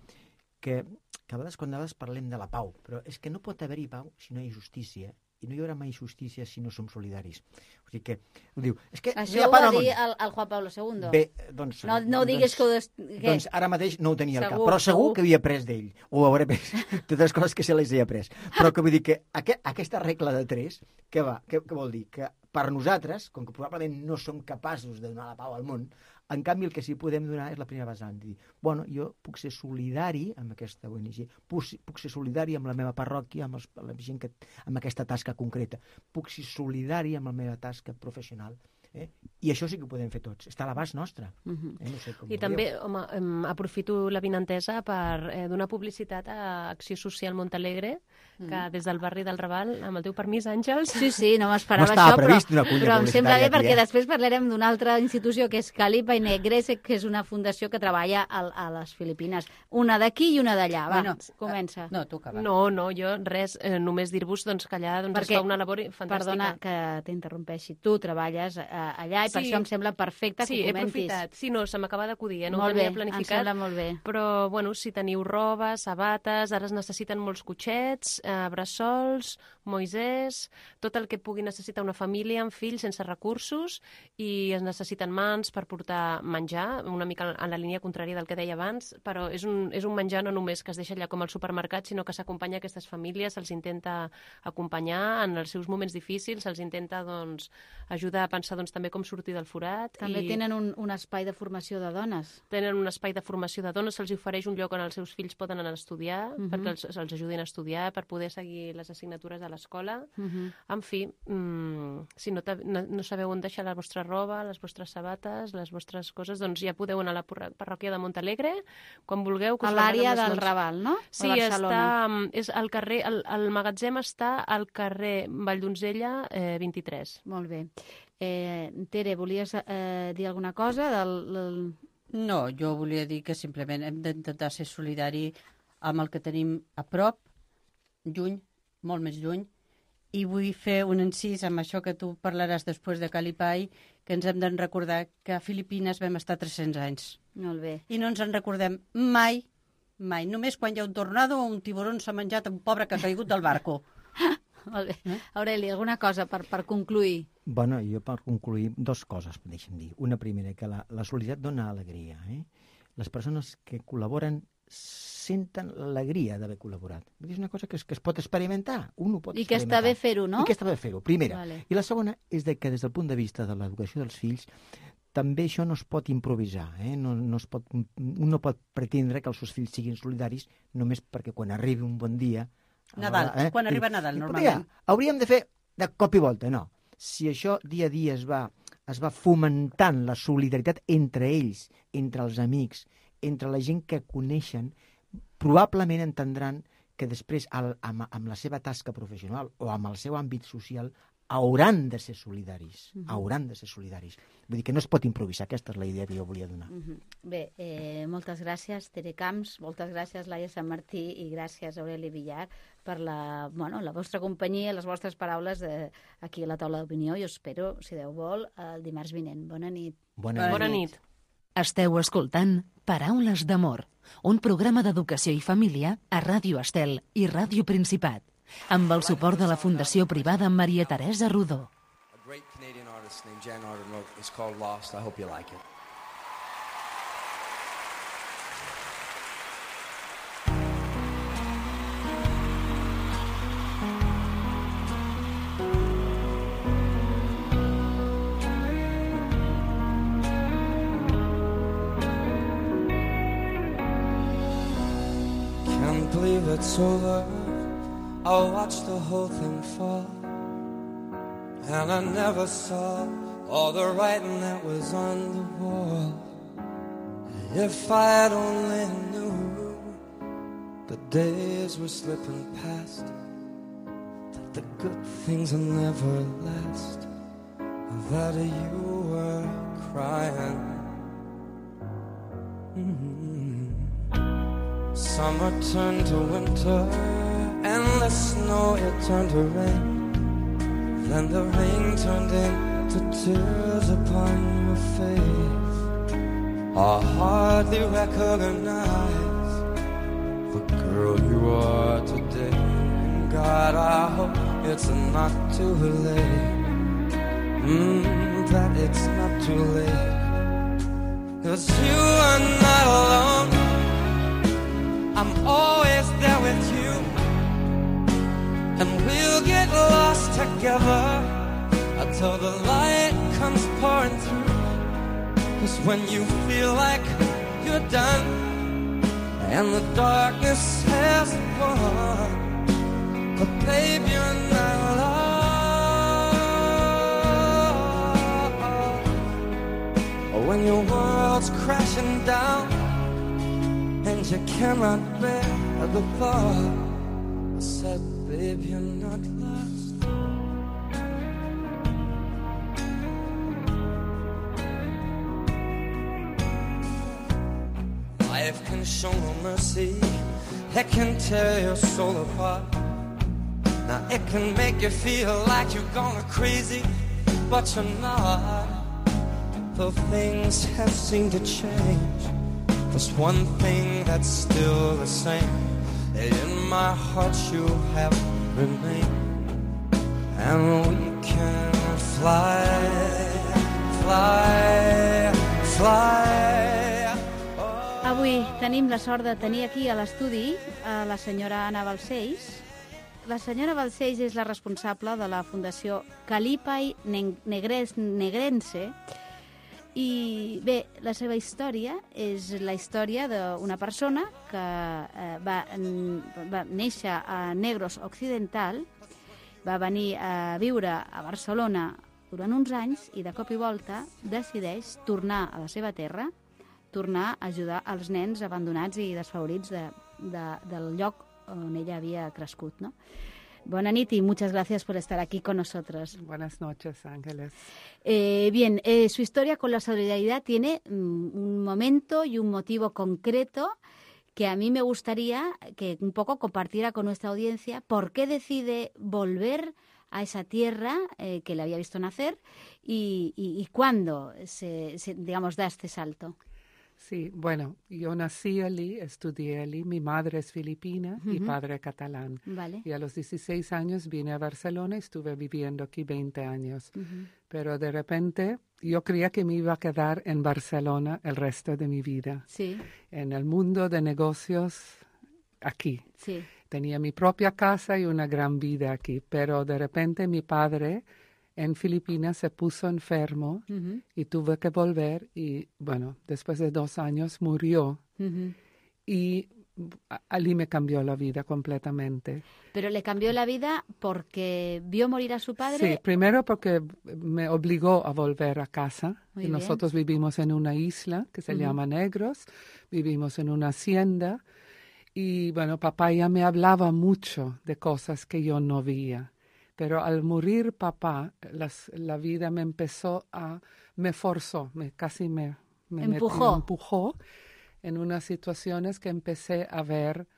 [SPEAKER 6] que, que a vegades quan a vegades parlem de la pau, però és que no pot haver-hi pau si no hi ha justícia, i no hi haurà mai justícia si no som solidaris. O sigui que, ho diu, és que no hi
[SPEAKER 2] Això
[SPEAKER 6] ha
[SPEAKER 2] ho
[SPEAKER 6] pau
[SPEAKER 2] va
[SPEAKER 6] al món.
[SPEAKER 2] dir el, el Juan Pablo segundo.
[SPEAKER 6] Bé, doncs...
[SPEAKER 2] No, no diguis
[SPEAKER 6] doncs,
[SPEAKER 2] que ho... Des... Què?
[SPEAKER 6] Doncs ara mateix no ho tenia al cap,
[SPEAKER 2] Segur,
[SPEAKER 6] però segur,
[SPEAKER 2] segur.
[SPEAKER 6] que havia après d'ell, o hauré après totes les coses que se les he après. Però que vull dir que aqu aquesta regla de tres, què va? Què, què vol dir? Que per nosaltres, com que probablement no som capaços de donar la pau al món, en canvi el que sí podem donar és la primera vessant, dir, bueno, jo puc ser solidari amb aquesta O N G, puc, puc ser solidari amb la meva parròquia, amb, els, amb la gent que, amb aquesta tasca concreta, puc ser solidari amb la meva tasca professional, eh? I això sí que ho podem fer tots, està a l'abast nostre.
[SPEAKER 2] Mhm.
[SPEAKER 6] Eh? No sé com
[SPEAKER 5] I
[SPEAKER 6] ho
[SPEAKER 5] també,
[SPEAKER 6] veieu.
[SPEAKER 5] home, em, aprofito la vinentesa per eh, donar publicitat a Acció Social Montalegre, que des del barri del Raval, amb el teu permís, Àngels...
[SPEAKER 2] Sí, sí, no m'esperava
[SPEAKER 6] No estava
[SPEAKER 2] això,
[SPEAKER 6] previst
[SPEAKER 2] però,
[SPEAKER 6] una cunya
[SPEAKER 2] però em sembla bé
[SPEAKER 6] publicitària aquí,
[SPEAKER 2] perquè
[SPEAKER 6] eh?
[SPEAKER 2] després parlarem d'una altra institució que és Calipa i Negrese, que és una fundació que treballa a, a les Filipines. Una d'aquí i una d'allà. Va,
[SPEAKER 4] Bueno,
[SPEAKER 2] comença.
[SPEAKER 4] No, tu acaba.
[SPEAKER 5] No, no, jo res, eh, només dir-vos doncs, que allà doncs,
[SPEAKER 2] Perquè,
[SPEAKER 5] es fa una labor fantàstica.
[SPEAKER 2] Perdona que t'interrompeixi. Tu treballes a, allà, i per
[SPEAKER 5] Sí.
[SPEAKER 2] això em sembla perfecte
[SPEAKER 5] Sí,
[SPEAKER 2] que ho
[SPEAKER 5] he
[SPEAKER 2] comentis.
[SPEAKER 5] aprofitat. Sí, no, se m'acaba d'acudir, eh? no ho
[SPEAKER 2] Molt bé,
[SPEAKER 5] tenia
[SPEAKER 2] em
[SPEAKER 5] planificat.
[SPEAKER 2] sembla molt bé.
[SPEAKER 5] Però, bueno, si teniu roba, sabates, ara es necessiten molts cotxets, eh, bressols, moisès, tot el que pugui necessitar una família amb fills sense recursos, i es necessiten mans per portar menjar, una mica en la línia contrària del que deia abans, però és un, és un menjar no només que es deixa allà com al supermercat, sinó que s'acompanya a aquestes famílies, se'ls intenta acompanyar en els seus moments difícils, se'ls intenta doncs, ajudar a pensar doncs, també com sortir del forat.
[SPEAKER 2] També
[SPEAKER 5] i
[SPEAKER 2] tenen un, un espai de formació de dones.
[SPEAKER 5] tenen un espai de formació de dones, se'ls ofereix un lloc on els seus fills poden anar a estudiar,
[SPEAKER 2] Mhm.
[SPEAKER 5] perquè els, se'ls ajudin a estudiar, per poder seguir les assignatures de l'escola.
[SPEAKER 2] Uh -huh.
[SPEAKER 5] En fi, mmm, si no, no, no sabeu on deixar la vostra roba, les vostres sabates, les vostres coses, doncs ja podeu anar a la parròquia de Montalegre, quan vulgueu. Que
[SPEAKER 2] A
[SPEAKER 5] us lavem
[SPEAKER 2] l'àrea
[SPEAKER 5] amb les
[SPEAKER 2] del
[SPEAKER 5] mans.
[SPEAKER 2] Raval, no?
[SPEAKER 5] Sí,
[SPEAKER 2] a Barcelona.
[SPEAKER 5] està, mm, és al carrer, el, el magatzem està al carrer Valldonzella eh, vint-i-tres.
[SPEAKER 2] Molt bé. Eh, Tere, volies eh, dir alguna cosa del... del...
[SPEAKER 4] No, jo volia dir que simplement hem d'intentar ser solidari amb el que tenim a prop, lluny, molt més lluny, i vull fer un incís amb això que tu parlaràs després de Calipai, que ens hem de recordar que a Filipines vam estar tres-cents anys.
[SPEAKER 2] Molt bé.
[SPEAKER 4] I no ens en recordem mai, mai. Només quan hi ha un tornado o un tiburón s'ha menjat un pobre que ha caigut del barco.
[SPEAKER 2] Molt bé. Aureli, alguna cosa per, per concluir?
[SPEAKER 6] Bueno, jo per concluir, dos coses, deixa'm dir. Una primera, que la, la solidaritat dona alegria. Eh? Les persones que col·laboren senten l'alegria d'haver col·laborat. És una cosa que es, que es pot experimentar. Un ho pot
[SPEAKER 2] I que
[SPEAKER 6] experimentar.
[SPEAKER 2] està bé fer-ho, no?
[SPEAKER 6] I que està bé fer-ho, primera.
[SPEAKER 2] Vale.
[SPEAKER 6] I la segona és de que des del punt de vista de l'educació dels fills també això no es pot improvisar. Eh? No, no es pot, un no pot pretendre que els seus fills siguin solidaris només perquè quan arribi un bon dia...
[SPEAKER 4] Nadal,
[SPEAKER 6] eh?
[SPEAKER 4] quan arriba Nadal, normalment.
[SPEAKER 6] Ja, hauríem de fer de cop i volta, no. Si això dia a dia es va, es va fomentant la solidaritat entre ells, entre els amics, entre la gent que coneixen, probablement entendran que després, al, amb, amb la seva tasca professional o amb el seu àmbit social, hauran de ser solidaris. Uh -huh. Hauran de ser solidaris. Vull dir que no es pot improvisar. Aquesta és la idea que jo volia donar.
[SPEAKER 2] Uh -huh. Bé, eh, moltes gràcies, Tere Camps, moltes gràcies, Laia Sant Martí, i gràcies, Aureli Villar, per la, bueno, la vostra companyia, les vostres paraules de, aquí a la taula d'opinió, i us espero, si Déu vol, el dimarts vinent. Bona nit.
[SPEAKER 6] Bona,
[SPEAKER 5] Bona nit.
[SPEAKER 1] Esteu escoltant Paraules d'amor, un programa d'educació i família a Ràdio Estel i Ràdio Principat, amb el suport de la Fundació Privada Maria Teresa Rodó.
[SPEAKER 7] A great Canadian artist named Jan Arden wrote, it's called Lost. I hope you like it. Can't believe it's over. I watched the whole thing fall, and I never saw all the writing that was on the wall. If I had only knew the days were slipping past, that the good things will never last, that you were crying. Mm-hmm. Summer turned to winter, and the snow, it turned to rain. Then the rain turned into tears upon your face. I hardly recognize the girl you are today. And God, I hope it's not too late. Mm, that it's not too late. 'Cause you are not alone. I'm always there with you, and we'll get lost together until the light comes pouring through. 'Cause when you feel like you're done and the darkness has won, but babe, you're not alone. When your world's crashing down and you cannot bear the thought, I said, babe, you're not lost. Life can show no mercy, it can tear your soul apart. Now it can make you feel like you're going crazy, but you're not. Though things have seemed to change, there's one thing that's still the same. In my heart you have remained, and we can fly, fly, fly.
[SPEAKER 2] Avui tenim la sort de tenir aquí a l'estudi a la senyora Anna Balcells. La senyora Balcells és la responsable de la Fundació Kalipai Negres, Negrense. I bé, la seva història és la història d'una persona que eh, va, va néixer a Negros Occidental, va venir a viure a Barcelona durant uns anys i de cop i volta decideix tornar a la seva terra, tornar a ajudar els nens abandonats i desfavorits de, de, del lloc on ella havia crescut, ¿no? Buenas noches y muchas gracias por estar aquí con nosotros.
[SPEAKER 8] Buenas noches, Ángeles.
[SPEAKER 2] Eh, bien, eh, su historia con la solidaridad tiene mm, un momento y un motivo concreto que a mí me gustaría que un poco compartiera con nuestra audiencia. ¿Por qué decide volver a esa tierra eh, que le había visto nacer y, y, y cuándo se, se, digamos, da este salto?
[SPEAKER 8] Sí, bueno, yo nací allí, estudié allí, mi madre es filipina uh-huh. y padre catalán.
[SPEAKER 2] Vale.
[SPEAKER 8] Y a los dieciséis años vine a Barcelona y estuve viviendo aquí veinte años. Uh-huh. Pero de repente yo creía que me iba a quedar en Barcelona el resto de mi vida.
[SPEAKER 2] Sí.
[SPEAKER 8] En el mundo de negocios aquí.
[SPEAKER 2] Sí.
[SPEAKER 8] Tenía mi propia casa y una gran vida aquí, pero de repente mi padre en Filipinas se puso enfermo uh-huh. y tuve que volver y, bueno, después de dos años murió uh-huh. y allí me cambió la vida completamente.
[SPEAKER 2] ¿Pero le cambió la vida porque vio morir a su padre?
[SPEAKER 8] Sí, primero porque me obligó a volver a casa.
[SPEAKER 2] Muy
[SPEAKER 8] y
[SPEAKER 2] bien.
[SPEAKER 8] Nosotros vivimos en una isla que se uh-huh. llama Negros, vivimos en una hacienda y, bueno, papá ya me hablaba mucho de cosas que yo no veía. Pero al morir papá, las, la vida me empezó a, me forzó, me, casi me, me
[SPEAKER 2] empujó.
[SPEAKER 8] Metió, empujó en unas situaciones que empecé a ver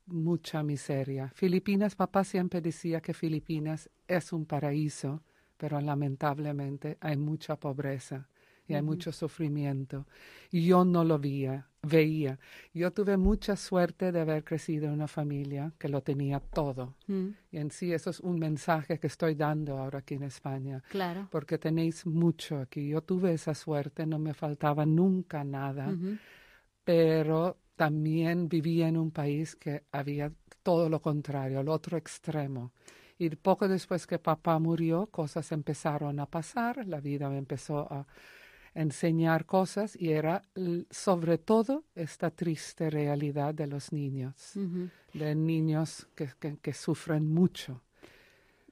[SPEAKER 8] mucha miseria. Filipinas, papá siempre decía que Filipinas es un paraíso, pero lamentablemente hay mucha pobreza y hay uh-huh. mucho sufrimiento. Y yo no lo veía, veía. Yo tuve mucha suerte de haber crecido en una familia que lo tenía todo. Uh-huh. Y en sí eso es un mensaje que estoy dando ahora aquí en España.
[SPEAKER 2] Claro.
[SPEAKER 8] Porque tenéis mucho aquí. Yo tuve esa suerte, no me faltaba nunca nada. Uh-huh. Pero también vivía en un país que había todo lo contrario, el otro extremo. Y poco después que papá murió, cosas empezaron a pasar, la vida me empezó a enseñar cosas y era sobre todo esta triste realidad de los niños, uh-huh. de niños que, que, que sufren mucho.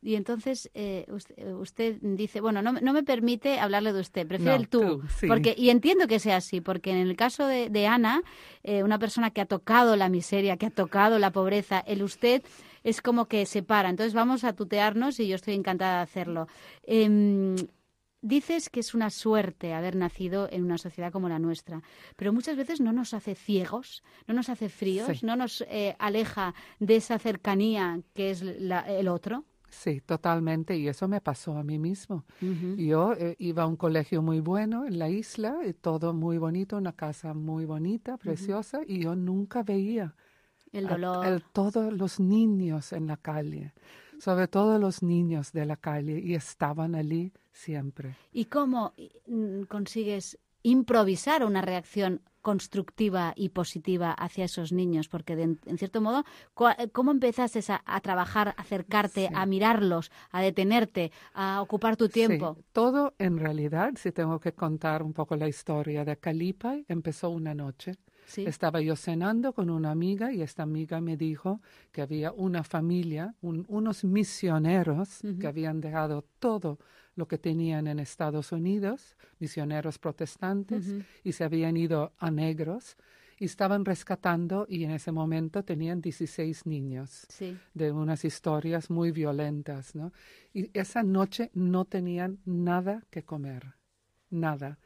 [SPEAKER 2] Y entonces eh, usted, usted dice, bueno, no, no me permite hablarle de usted, prefiere
[SPEAKER 8] no,
[SPEAKER 2] el tú.
[SPEAKER 8] tú sí.
[SPEAKER 2] Porque, y entiendo que sea así, porque en el caso de, de Ana, eh, una persona que ha tocado la miseria, que ha tocado la pobreza, el usted es como que separa. Entonces vamos a tutearnos y yo estoy encantada de hacerlo. Eh, Dices que es una suerte haber nacido en una sociedad como la nuestra, pero muchas veces no nos hace ciegos, no nos hace fríos,
[SPEAKER 8] sí.
[SPEAKER 2] no nos eh, aleja de esa cercanía que es la, el otro.
[SPEAKER 8] Sí, totalmente, y eso me pasó a mí mismo.
[SPEAKER 2] Uh-huh.
[SPEAKER 8] Yo eh, iba a un colegio muy bueno en la isla, y todo muy bonito, una casa muy bonita, preciosa, uh-huh. y yo nunca veía
[SPEAKER 2] el dolor.
[SPEAKER 8] A, el, todos los niños en la calle, sobre todo los niños de la calle, y estaban allí siempre.
[SPEAKER 2] ¿Y cómo consigues improvisar una reacción constructiva y positiva hacia esos niños? Porque, de, en cierto modo, ¿cómo empezaste a, a trabajar, a acercarte, sí. a mirarlos, a detenerte, a ocupar tu tiempo?
[SPEAKER 8] Sí. Todo, en realidad, si tengo que contar un poco la historia de Kalipai, empezó una noche.
[SPEAKER 2] Sí.
[SPEAKER 8] Estaba yo cenando con una amiga y esta amiga me dijo que había una familia, un, unos misioneros uh-huh. que habían dejado todo lo que tenían en Estados Unidos, misioneros protestantes, uh-huh. y se habían ido a Negros y estaban rescatando y en ese momento tenían dieciséis niños
[SPEAKER 2] sí.
[SPEAKER 8] de unas historias muy violentas, ¿no? Y esa noche no tenían nada que comer, nada.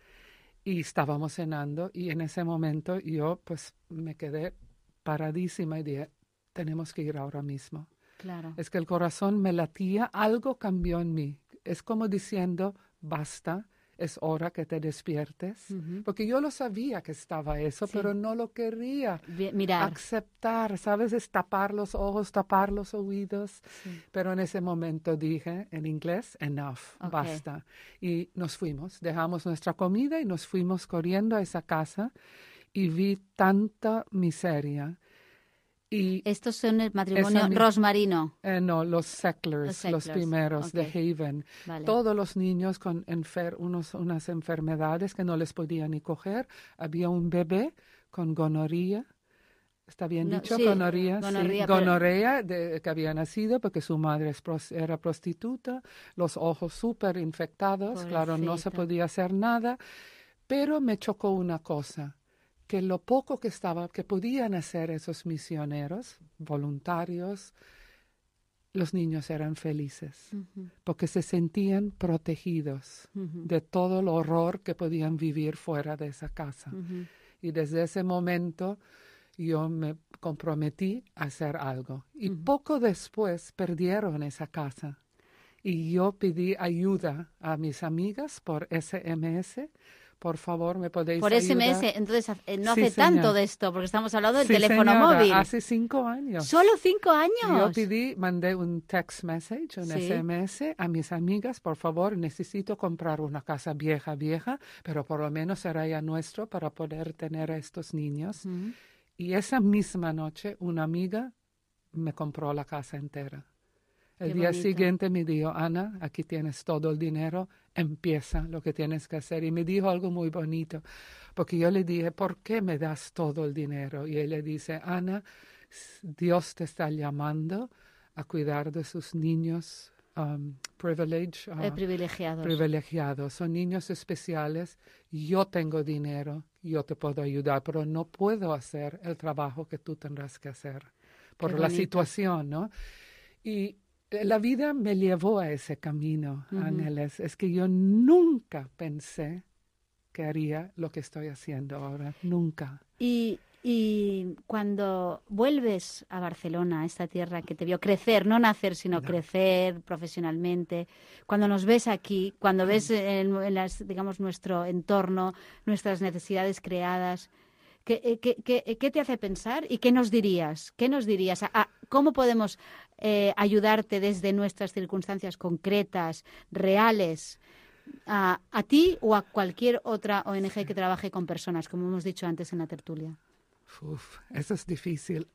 [SPEAKER 8] Y estábamos cenando y en ese momento yo pues me quedé paradísima y dije, tenemos que ir ahora mismo.
[SPEAKER 2] Claro.
[SPEAKER 8] Es que el corazón me latía, algo cambió en mí. es como diciendo, basta, es hora que te despiertes. Uh-huh. Porque yo lo sabía que estaba eso, sí. pero no lo quería
[SPEAKER 2] Bien, mirar.
[SPEAKER 8] aceptar, ¿sabes? Es tapar los ojos, tapar los oídos. Sí. Pero en ese momento dije, en inglés, enough, okay. basta. Y nos fuimos, dejamos nuestra comida y nos fuimos corriendo a esa casa y vi tanta miseria. Y
[SPEAKER 2] estos son el matrimonio esa, Rosmarino.
[SPEAKER 8] Eh, no, los Sacklers, los, Sacklers. los primeros okay. de Haven. Vale. Todos los niños con enfer unos, unas enfermedades que no les podían ni coger. Había un bebé con gonorrea. ¿Está bien no, dicho?
[SPEAKER 2] Sí,
[SPEAKER 8] gonorrea.
[SPEAKER 2] gonorrea,
[SPEAKER 8] sí.
[SPEAKER 2] pero...
[SPEAKER 8] gonorrea de, que había nacido porque su madre es pros, era prostituta. Los ojos súper infectados. Pobrecita. Claro, no se podía hacer nada. Pero me chocó una cosa. Que lo poco que estaba, que podían hacer esos misioneros voluntarios, los niños eran felices, uh-huh. porque se sentían protegidos uh-huh. de todo el horror que podían vivir fuera de esa casa. Uh-huh. Y desde ese momento yo me comprometí a hacer algo. Y uh-huh. poco después perdieron esa casa. Y yo pedí ayuda a mis amigas por S M S. Por favor, ¿me podéis
[SPEAKER 2] Por
[SPEAKER 8] ayudar?
[SPEAKER 2] S M S, entonces no
[SPEAKER 8] sí,
[SPEAKER 2] hace
[SPEAKER 8] señora.
[SPEAKER 2] tanto de esto, porque estamos hablando del
[SPEAKER 8] sí,
[SPEAKER 2] teléfono
[SPEAKER 8] señora,
[SPEAKER 2] móvil.
[SPEAKER 8] Hace cinco años.
[SPEAKER 2] ¿Solo cinco años?
[SPEAKER 8] Yo pedí, mandé un text message, un sí. S M S a mis amigas, por favor, necesito comprar una casa vieja, vieja, pero por lo menos será ya nuestro para poder tener a estos niños. Uh-huh. Y esa misma noche, una amiga me compró la casa entera. El Qué día bonito. Siguiente me dijo, Ana, aquí tienes todo el dinero, empieza lo que tienes que hacer. Y me dijo algo muy bonito, porque yo le dije, ¿por qué me das todo el dinero? Y él le dice, Ana, Dios te está llamando a cuidar de sus niños um, privilege, uh,
[SPEAKER 2] eh, privilegiados.
[SPEAKER 8] privilegiados. Son niños especiales. Yo tengo dinero, yo te puedo ayudar, pero no puedo hacer el trabajo que tú tendrás que hacer por la situación, ¿no? Y la vida me llevó a ese camino, uh-huh. Ángeles. Es que yo nunca pensé que haría lo que estoy haciendo ahora. Nunca.
[SPEAKER 2] Y, y cuando vuelves a Barcelona, a esta tierra que te vio crecer, no nacer, sino no. crecer profesionalmente, cuando nos ves aquí, cuando ves en, en las, digamos, nuestro entorno, nuestras necesidades creadas, ¿Qué, qué, qué, ¿Qué te hace pensar y qué nos dirías? ¿Qué nos dirías? ¿A, a, ¿Cómo podemos eh, ayudarte desde nuestras circunstancias concretas, reales, a, a ti o a cualquier otra O N G que trabaje con personas, como hemos dicho antes en la tertulia?
[SPEAKER 8] Uf, eso es difícil,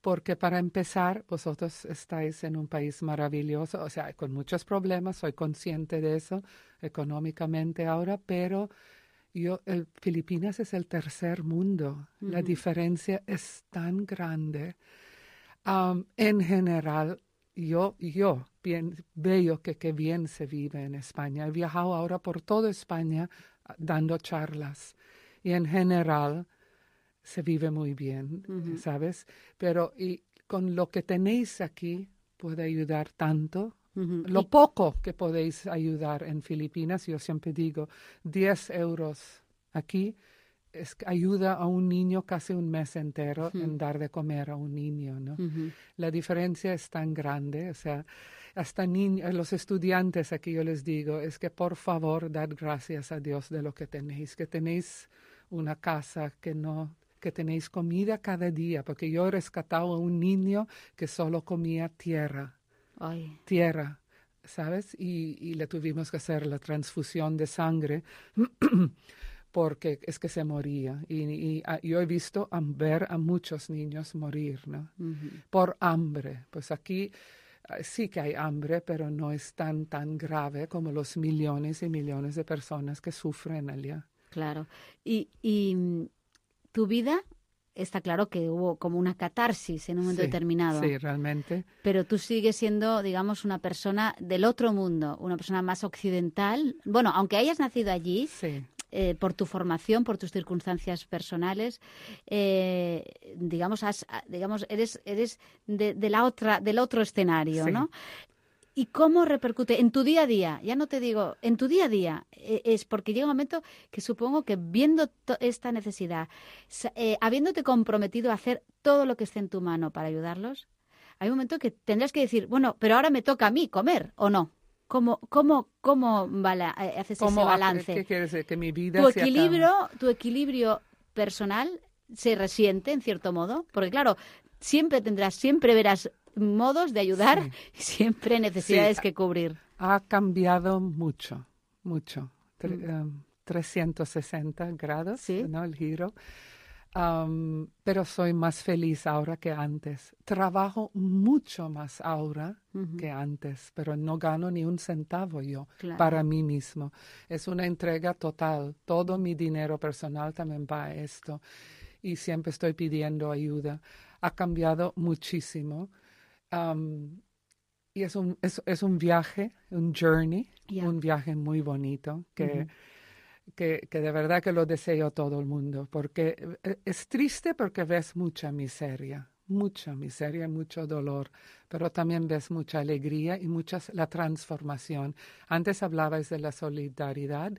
[SPEAKER 8] porque para empezar, vosotros estáis en un país maravilloso, o sea, con muchos problemas, soy consciente de eso económicamente ahora, pero... Yo, el, Filipinas es el tercer mundo. Uh-huh. La diferencia es tan grande. Um, en general, yo, yo bien, veo que, que bien se vive en España. He viajado ahora por toda España uh, dando charlas. Y en general se vive muy bien, uh-huh. ¿sabes? Pero y con lo que tenéis aquí puede ayudar tanto. Uh-huh. Lo poco que podéis ayudar en Filipinas, yo siempre digo, diez euros aquí es, ayuda a un niño casi un mes entero uh-huh. en dar de comer a un niño, ¿no? Uh-huh. La diferencia es tan grande, o sea, hasta niños, los estudiantes aquí yo les digo, es que por favor dad gracias a Dios de lo que tenéis, que tenéis una casa, que no... que tenéis comida cada día, porque yo he rescatado a un niño que solo comía tierra. Ay. Tierra, ¿sabes? Y, y le tuvimos que hacer la transfusión de sangre porque es que se moría. Y, y a, yo he visto a, ver a muchos niños morir, ¿no? Uh-huh. Por hambre. Pues aquí uh, sí que hay hambre, pero no es tan, tan grave como los millones y millones de personas que sufren allá.
[SPEAKER 2] Claro. Y, y tu vida... Está claro que hubo como una catarsis en un momento
[SPEAKER 8] sí,
[SPEAKER 2] determinado.
[SPEAKER 8] Sí, realmente.
[SPEAKER 2] Pero tú sigues siendo, digamos, una persona del otro mundo, una persona más occidental. Bueno, aunque hayas nacido allí,
[SPEAKER 8] sí.
[SPEAKER 2] eh, por tu formación, por tus circunstancias personales, eh, digamos, has, digamos, eres, eres de, de la otra, del otro escenario, sí. ¿no? ¿Y cómo repercute en tu día a día? Ya no te digo, en tu día a día, eh, es porque llega un momento que supongo que viendo to- esta necesidad, eh, habiéndote comprometido a hacer todo lo que esté en tu mano para ayudarlos, hay un momento que tendrás que decir, bueno, pero ahora me toca a mí comer, ¿o no? ¿Cómo, cómo, cómo bala, eh, haces ese
[SPEAKER 8] ¿Cómo,
[SPEAKER 2] balance?
[SPEAKER 8] ¿Qué quiere decir? Que mi vida
[SPEAKER 2] Tu
[SPEAKER 8] se
[SPEAKER 2] equilibrio,
[SPEAKER 8] acaba.
[SPEAKER 2] tu equilibrio personal se resiente, en cierto modo, porque claro, siempre tendrás, siempre verás modos de ayudar
[SPEAKER 8] Sí.
[SPEAKER 2] y siempre necesidades
[SPEAKER 8] Sí.
[SPEAKER 2] que cubrir.
[SPEAKER 8] Ha cambiado mucho, mucho. Tre- um, trescientos sesenta grados,
[SPEAKER 2] Sí.
[SPEAKER 8] ¿no? El giro. Um, pero soy más feliz ahora que antes. Trabajo mucho más ahora
[SPEAKER 2] Ujú.
[SPEAKER 8] que antes, pero no gano ni un centavo yo
[SPEAKER 2] Claro.
[SPEAKER 8] para mí mismo. Es una entrega total. Todo mi dinero personal también va a esto. Y siempre estoy pidiendo ayuda. Ha cambiado muchísimo. Um, y es un, es, es un viaje, un journey,
[SPEAKER 2] Ya.
[SPEAKER 8] un viaje muy bonito que,
[SPEAKER 2] Ujú.
[SPEAKER 8] que, que de verdad que lo deseo a todo el mundo, porque eh, es triste porque ves mucha miseria, mucha miseria, mucho dolor, pero también ves mucha alegría y mucha la transformación. Antes hablabais de la solidaridad.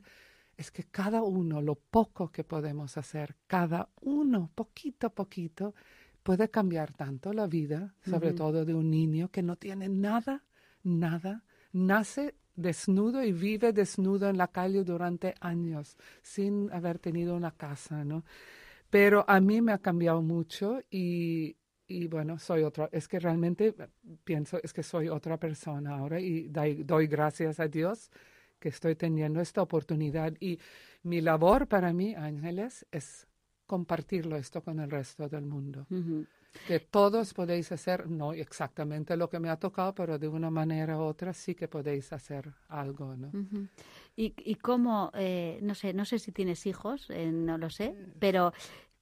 [SPEAKER 8] Es que cada uno, lo poco que podemos hacer, cada uno, poquito a poquito, puede cambiar tanto la vida, sobre
[SPEAKER 2] Ujú.
[SPEAKER 8] todo de un niño que no tiene nada, nada, nace desnudo y vive desnudo en la calle durante años, sin haber tenido una casa, ¿no? Pero a mí me ha cambiado mucho y, y bueno, soy otra, es que realmente pienso, es que soy otra persona ahora y doy, doy gracias a Dios que estoy teniendo esta oportunidad. Y mi labor para mí, Ángeles, es compartirlo esto con el resto del mundo.
[SPEAKER 2] Ujú.
[SPEAKER 8] Que todos podéis hacer, no exactamente lo que me ha tocado, pero de una manera u otra sí que podéis hacer algo, ¿no?
[SPEAKER 2] Ujú. Y, y cómo, eh, no sé, no sé si tienes hijos, eh, no lo sé, pero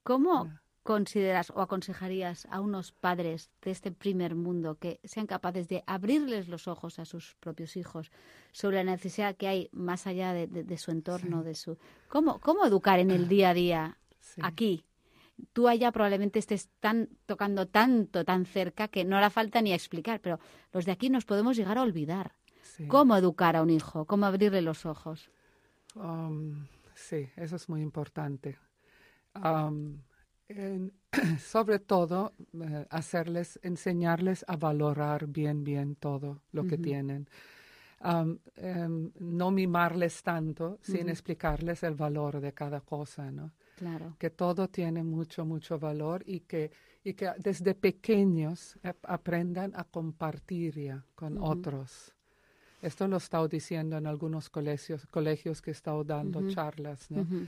[SPEAKER 2] ¿cómo
[SPEAKER 8] No.
[SPEAKER 2] consideras o aconsejarías a unos padres de este primer mundo que sean capaces de abrirles los ojos a sus propios hijos sobre la necesidad que hay más allá de, de- de su entorno,
[SPEAKER 8] Sí.
[SPEAKER 2] de su... ¿Cómo, cómo educar en el día a día
[SPEAKER 8] Sí.
[SPEAKER 2] aquí? Tú allá probablemente estés tan, tocando tanto, tan cerca que no hará falta ni explicar, pero los de aquí nos podemos llegar a olvidar.
[SPEAKER 8] Sí.
[SPEAKER 2] ¿Cómo educar a un hijo? ¿Cómo abrirle los ojos?
[SPEAKER 8] Um, sí, eso es muy importante. Um, en- sobre todo, eh, hacerles, enseñarles a valorar bien, bien todo lo que
[SPEAKER 2] Ujú.
[SPEAKER 8] tienen. Um, em, no mimarles tanto sin
[SPEAKER 2] Ujú.
[SPEAKER 8] explicarles el valor de cada cosa, ¿no?
[SPEAKER 2] Claro.
[SPEAKER 8] Que todo tiene mucho, mucho valor y que, y que desde pequeños ap- aprendan a compartir ya con
[SPEAKER 2] Ujú.
[SPEAKER 8] otros. Esto lo he estado diciendo en algunos colegios, colegios que he estado dando
[SPEAKER 2] Ujú.
[SPEAKER 8] charlas, ¿no?
[SPEAKER 2] Ujú.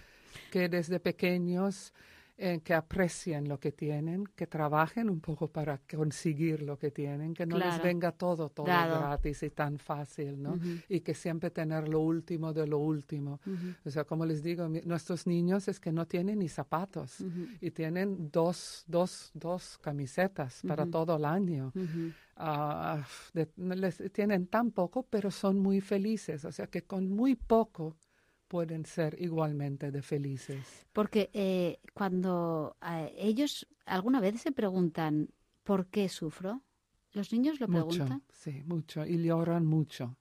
[SPEAKER 8] Que desde pequeños eh, que aprecien lo que tienen, que trabajen un poco para conseguir lo que tienen, que no les
[SPEAKER 2] Claro.
[SPEAKER 8] venga todo, todo
[SPEAKER 2] Dado.
[SPEAKER 8] gratis y tan fácil, ¿no?
[SPEAKER 2] Ujú.
[SPEAKER 8] Y que siempre tener lo último de lo último.
[SPEAKER 2] Ujú.
[SPEAKER 8] O sea, como les digo, mi- nuestros niños es que no tienen ni zapatos
[SPEAKER 2] Ujú.
[SPEAKER 8] y tienen dos, dos, dos camisetas para
[SPEAKER 2] Ujú.
[SPEAKER 8] todo el año.
[SPEAKER 2] Ujú.
[SPEAKER 8] Ah, de- no les tienen tan poco, pero son muy felices. O sea que con muy poco pueden ser igualmente de felices.
[SPEAKER 2] Porque eh, cuando eh, ellos alguna vez se preguntan ¿por qué sufro? ¿Los niños lo
[SPEAKER 8] Mucho,
[SPEAKER 2] preguntan?
[SPEAKER 8] sí, mucho. Y lloran mucho,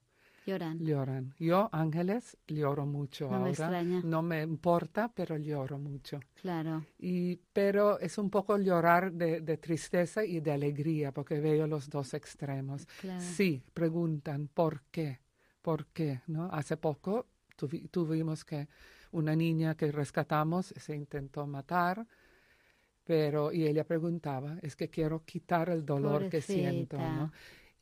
[SPEAKER 2] Lloran.
[SPEAKER 8] lloran. Yo, Ángeles, lloro mucho
[SPEAKER 2] No me
[SPEAKER 8] ahora.
[SPEAKER 2] extraña.
[SPEAKER 8] No me importa, pero lloro mucho.
[SPEAKER 2] Claro.
[SPEAKER 8] Y, pero es un poco llorar de, de tristeza y de alegría, porque veo los dos extremos.
[SPEAKER 2] Claro.
[SPEAKER 8] Sí, preguntan, ¿por qué? ¿Por qué? ¿No? Hace poco tuvi- tuvimos que una niña que rescatamos se intentó matar, pero y ella preguntaba, es que quiero quitar el dolor que siento,
[SPEAKER 2] Pobrecita.
[SPEAKER 8] ¿no?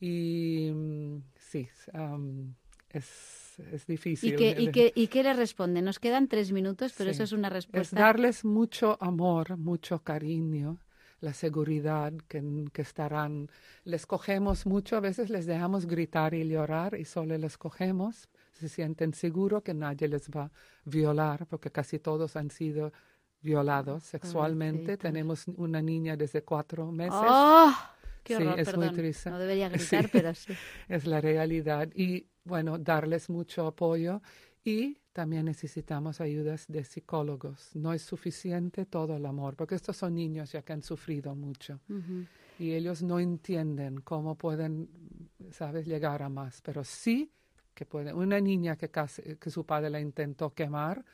[SPEAKER 8] Y mm, sí, um, es, es difícil.
[SPEAKER 2] ¿Y qué, y, qué, ¿Y qué le responde? Nos quedan tres minutos, pero
[SPEAKER 8] Sí.
[SPEAKER 2] eso es una
[SPEAKER 8] Es
[SPEAKER 2] respuesta.
[SPEAKER 8] darles mucho amor, mucho cariño, la seguridad que, que estarán. Les cogemos mucho, a veces les dejamos gritar y llorar y solo les cogemos. Se sienten seguros que nadie les va a violar, porque casi todos han sido violados sexualmente.
[SPEAKER 2] Pobrecitos.
[SPEAKER 8] Tenemos una niña desde cuatro meses.
[SPEAKER 2] ¡Oh! ¡Qué
[SPEAKER 8] Sí,
[SPEAKER 2] horror!
[SPEAKER 8] es muy
[SPEAKER 2] Perdón.
[SPEAKER 8] triste.
[SPEAKER 2] No debería gritar,
[SPEAKER 8] Sí.
[SPEAKER 2] pero sí.
[SPEAKER 8] Es la realidad. Y bueno, darles mucho apoyo y también necesitamos ayudas de psicólogos. No es suficiente todo el amor, porque estos son niños ya que han sufrido mucho
[SPEAKER 2] Ujú.
[SPEAKER 8] y ellos no entienden cómo pueden, sabes, llegar a más, pero sí que pueden. Una niña que, casi, que su padre la intentó quemar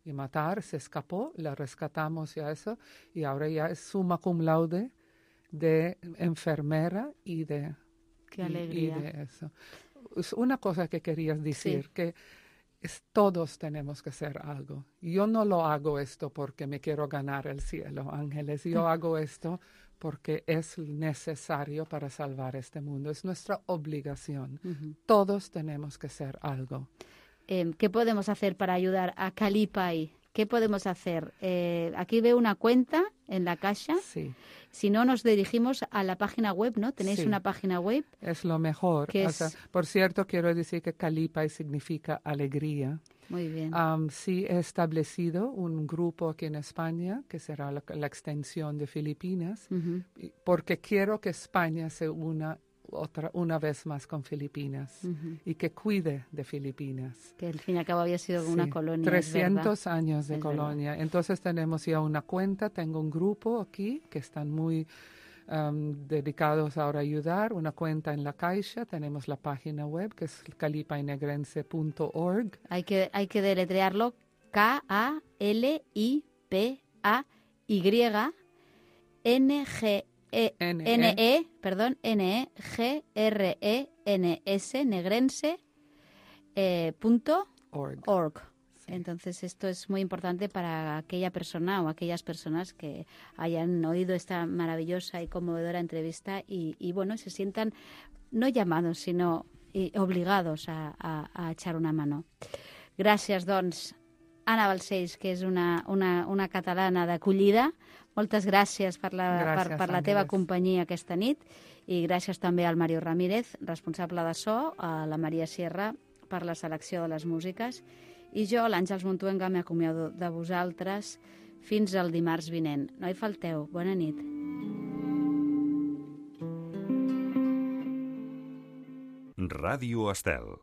[SPEAKER 8] y matar, se escapó, la rescatamos y a eso, y ahora ya es summa cum laude de enfermera y de
[SPEAKER 2] Qué
[SPEAKER 8] y-
[SPEAKER 2] alegría.
[SPEAKER 8] Y, de eso. es una cosa que querías decir,
[SPEAKER 2] Sí.
[SPEAKER 8] que es, todos tenemos que hacer algo. Yo no lo hago esto porque me quiero ganar el cielo, Ángeles. Yo hago esto porque es necesario para salvar este mundo. Es nuestra obligación.
[SPEAKER 2] Ujú.
[SPEAKER 8] Todos tenemos que hacer algo.
[SPEAKER 2] Eh, ¿Qué podemos hacer para ayudar a Calipai? ¿Qué podemos hacer? Eh, aquí veo una cuenta en la caja.
[SPEAKER 8] Sí,
[SPEAKER 2] Si no, nos dirigimos a la página web, ¿no? ¿Tenéis
[SPEAKER 8] Sí.
[SPEAKER 2] una página web?
[SPEAKER 8] es lo mejor.
[SPEAKER 2] ¿Qué
[SPEAKER 8] O
[SPEAKER 2] es?
[SPEAKER 8] sea, por cierto, quiero decir que Calipai significa alegría.
[SPEAKER 2] Muy bien.
[SPEAKER 8] Um, sí, he establecido un grupo aquí en España, que será la, la extensión de Filipinas,
[SPEAKER 2] Ujú.
[SPEAKER 8] y- porque quiero que España se una otra, una vez más con Filipinas
[SPEAKER 2] Ujú.
[SPEAKER 8] y que cuide de Filipinas.
[SPEAKER 2] Que al fin y al cabo había sido una
[SPEAKER 8] Sí,
[SPEAKER 2] colonia. es verdad.
[SPEAKER 8] trescientos años de
[SPEAKER 2] Es verdad.
[SPEAKER 8] colonia. Entonces tenemos ya una cuenta, tengo un grupo aquí que están muy um, dedicados ahora a ayudar, una cuenta en la Caixa, tenemos la página web que es calipainegrense punto org.
[SPEAKER 2] Hay que, hay que deletrearlo K A L I P A Y N G E
[SPEAKER 8] N E.
[SPEAKER 2] N E, perdón, N E G R E N S, negrense, eh, punto
[SPEAKER 8] Org.
[SPEAKER 2] org. Entonces esto es muy importante para aquella persona o aquellas personas que hayan oído esta maravillosa y conmovedora entrevista y, y bueno, se sientan no llamados, sino y obligados a, a, a echar una mano. Gràcies, doncs, Anna Balcells, que és una, una, una catalana d'acollida. Moltes gràcies per la,
[SPEAKER 8] Gràcies,
[SPEAKER 2] per, per la teva
[SPEAKER 8] Àngeles.
[SPEAKER 2] companyia aquesta nit i gràcies també al Mario Ramírez, responsable de so, a la Maria Sierra per la selecció de les músiques i jo, l'Àngels Montuenga, m'acomiado de vosaltres fins al dimarts vinent. No hi falteu. Bona nit.
[SPEAKER 9] Ràdio Estel.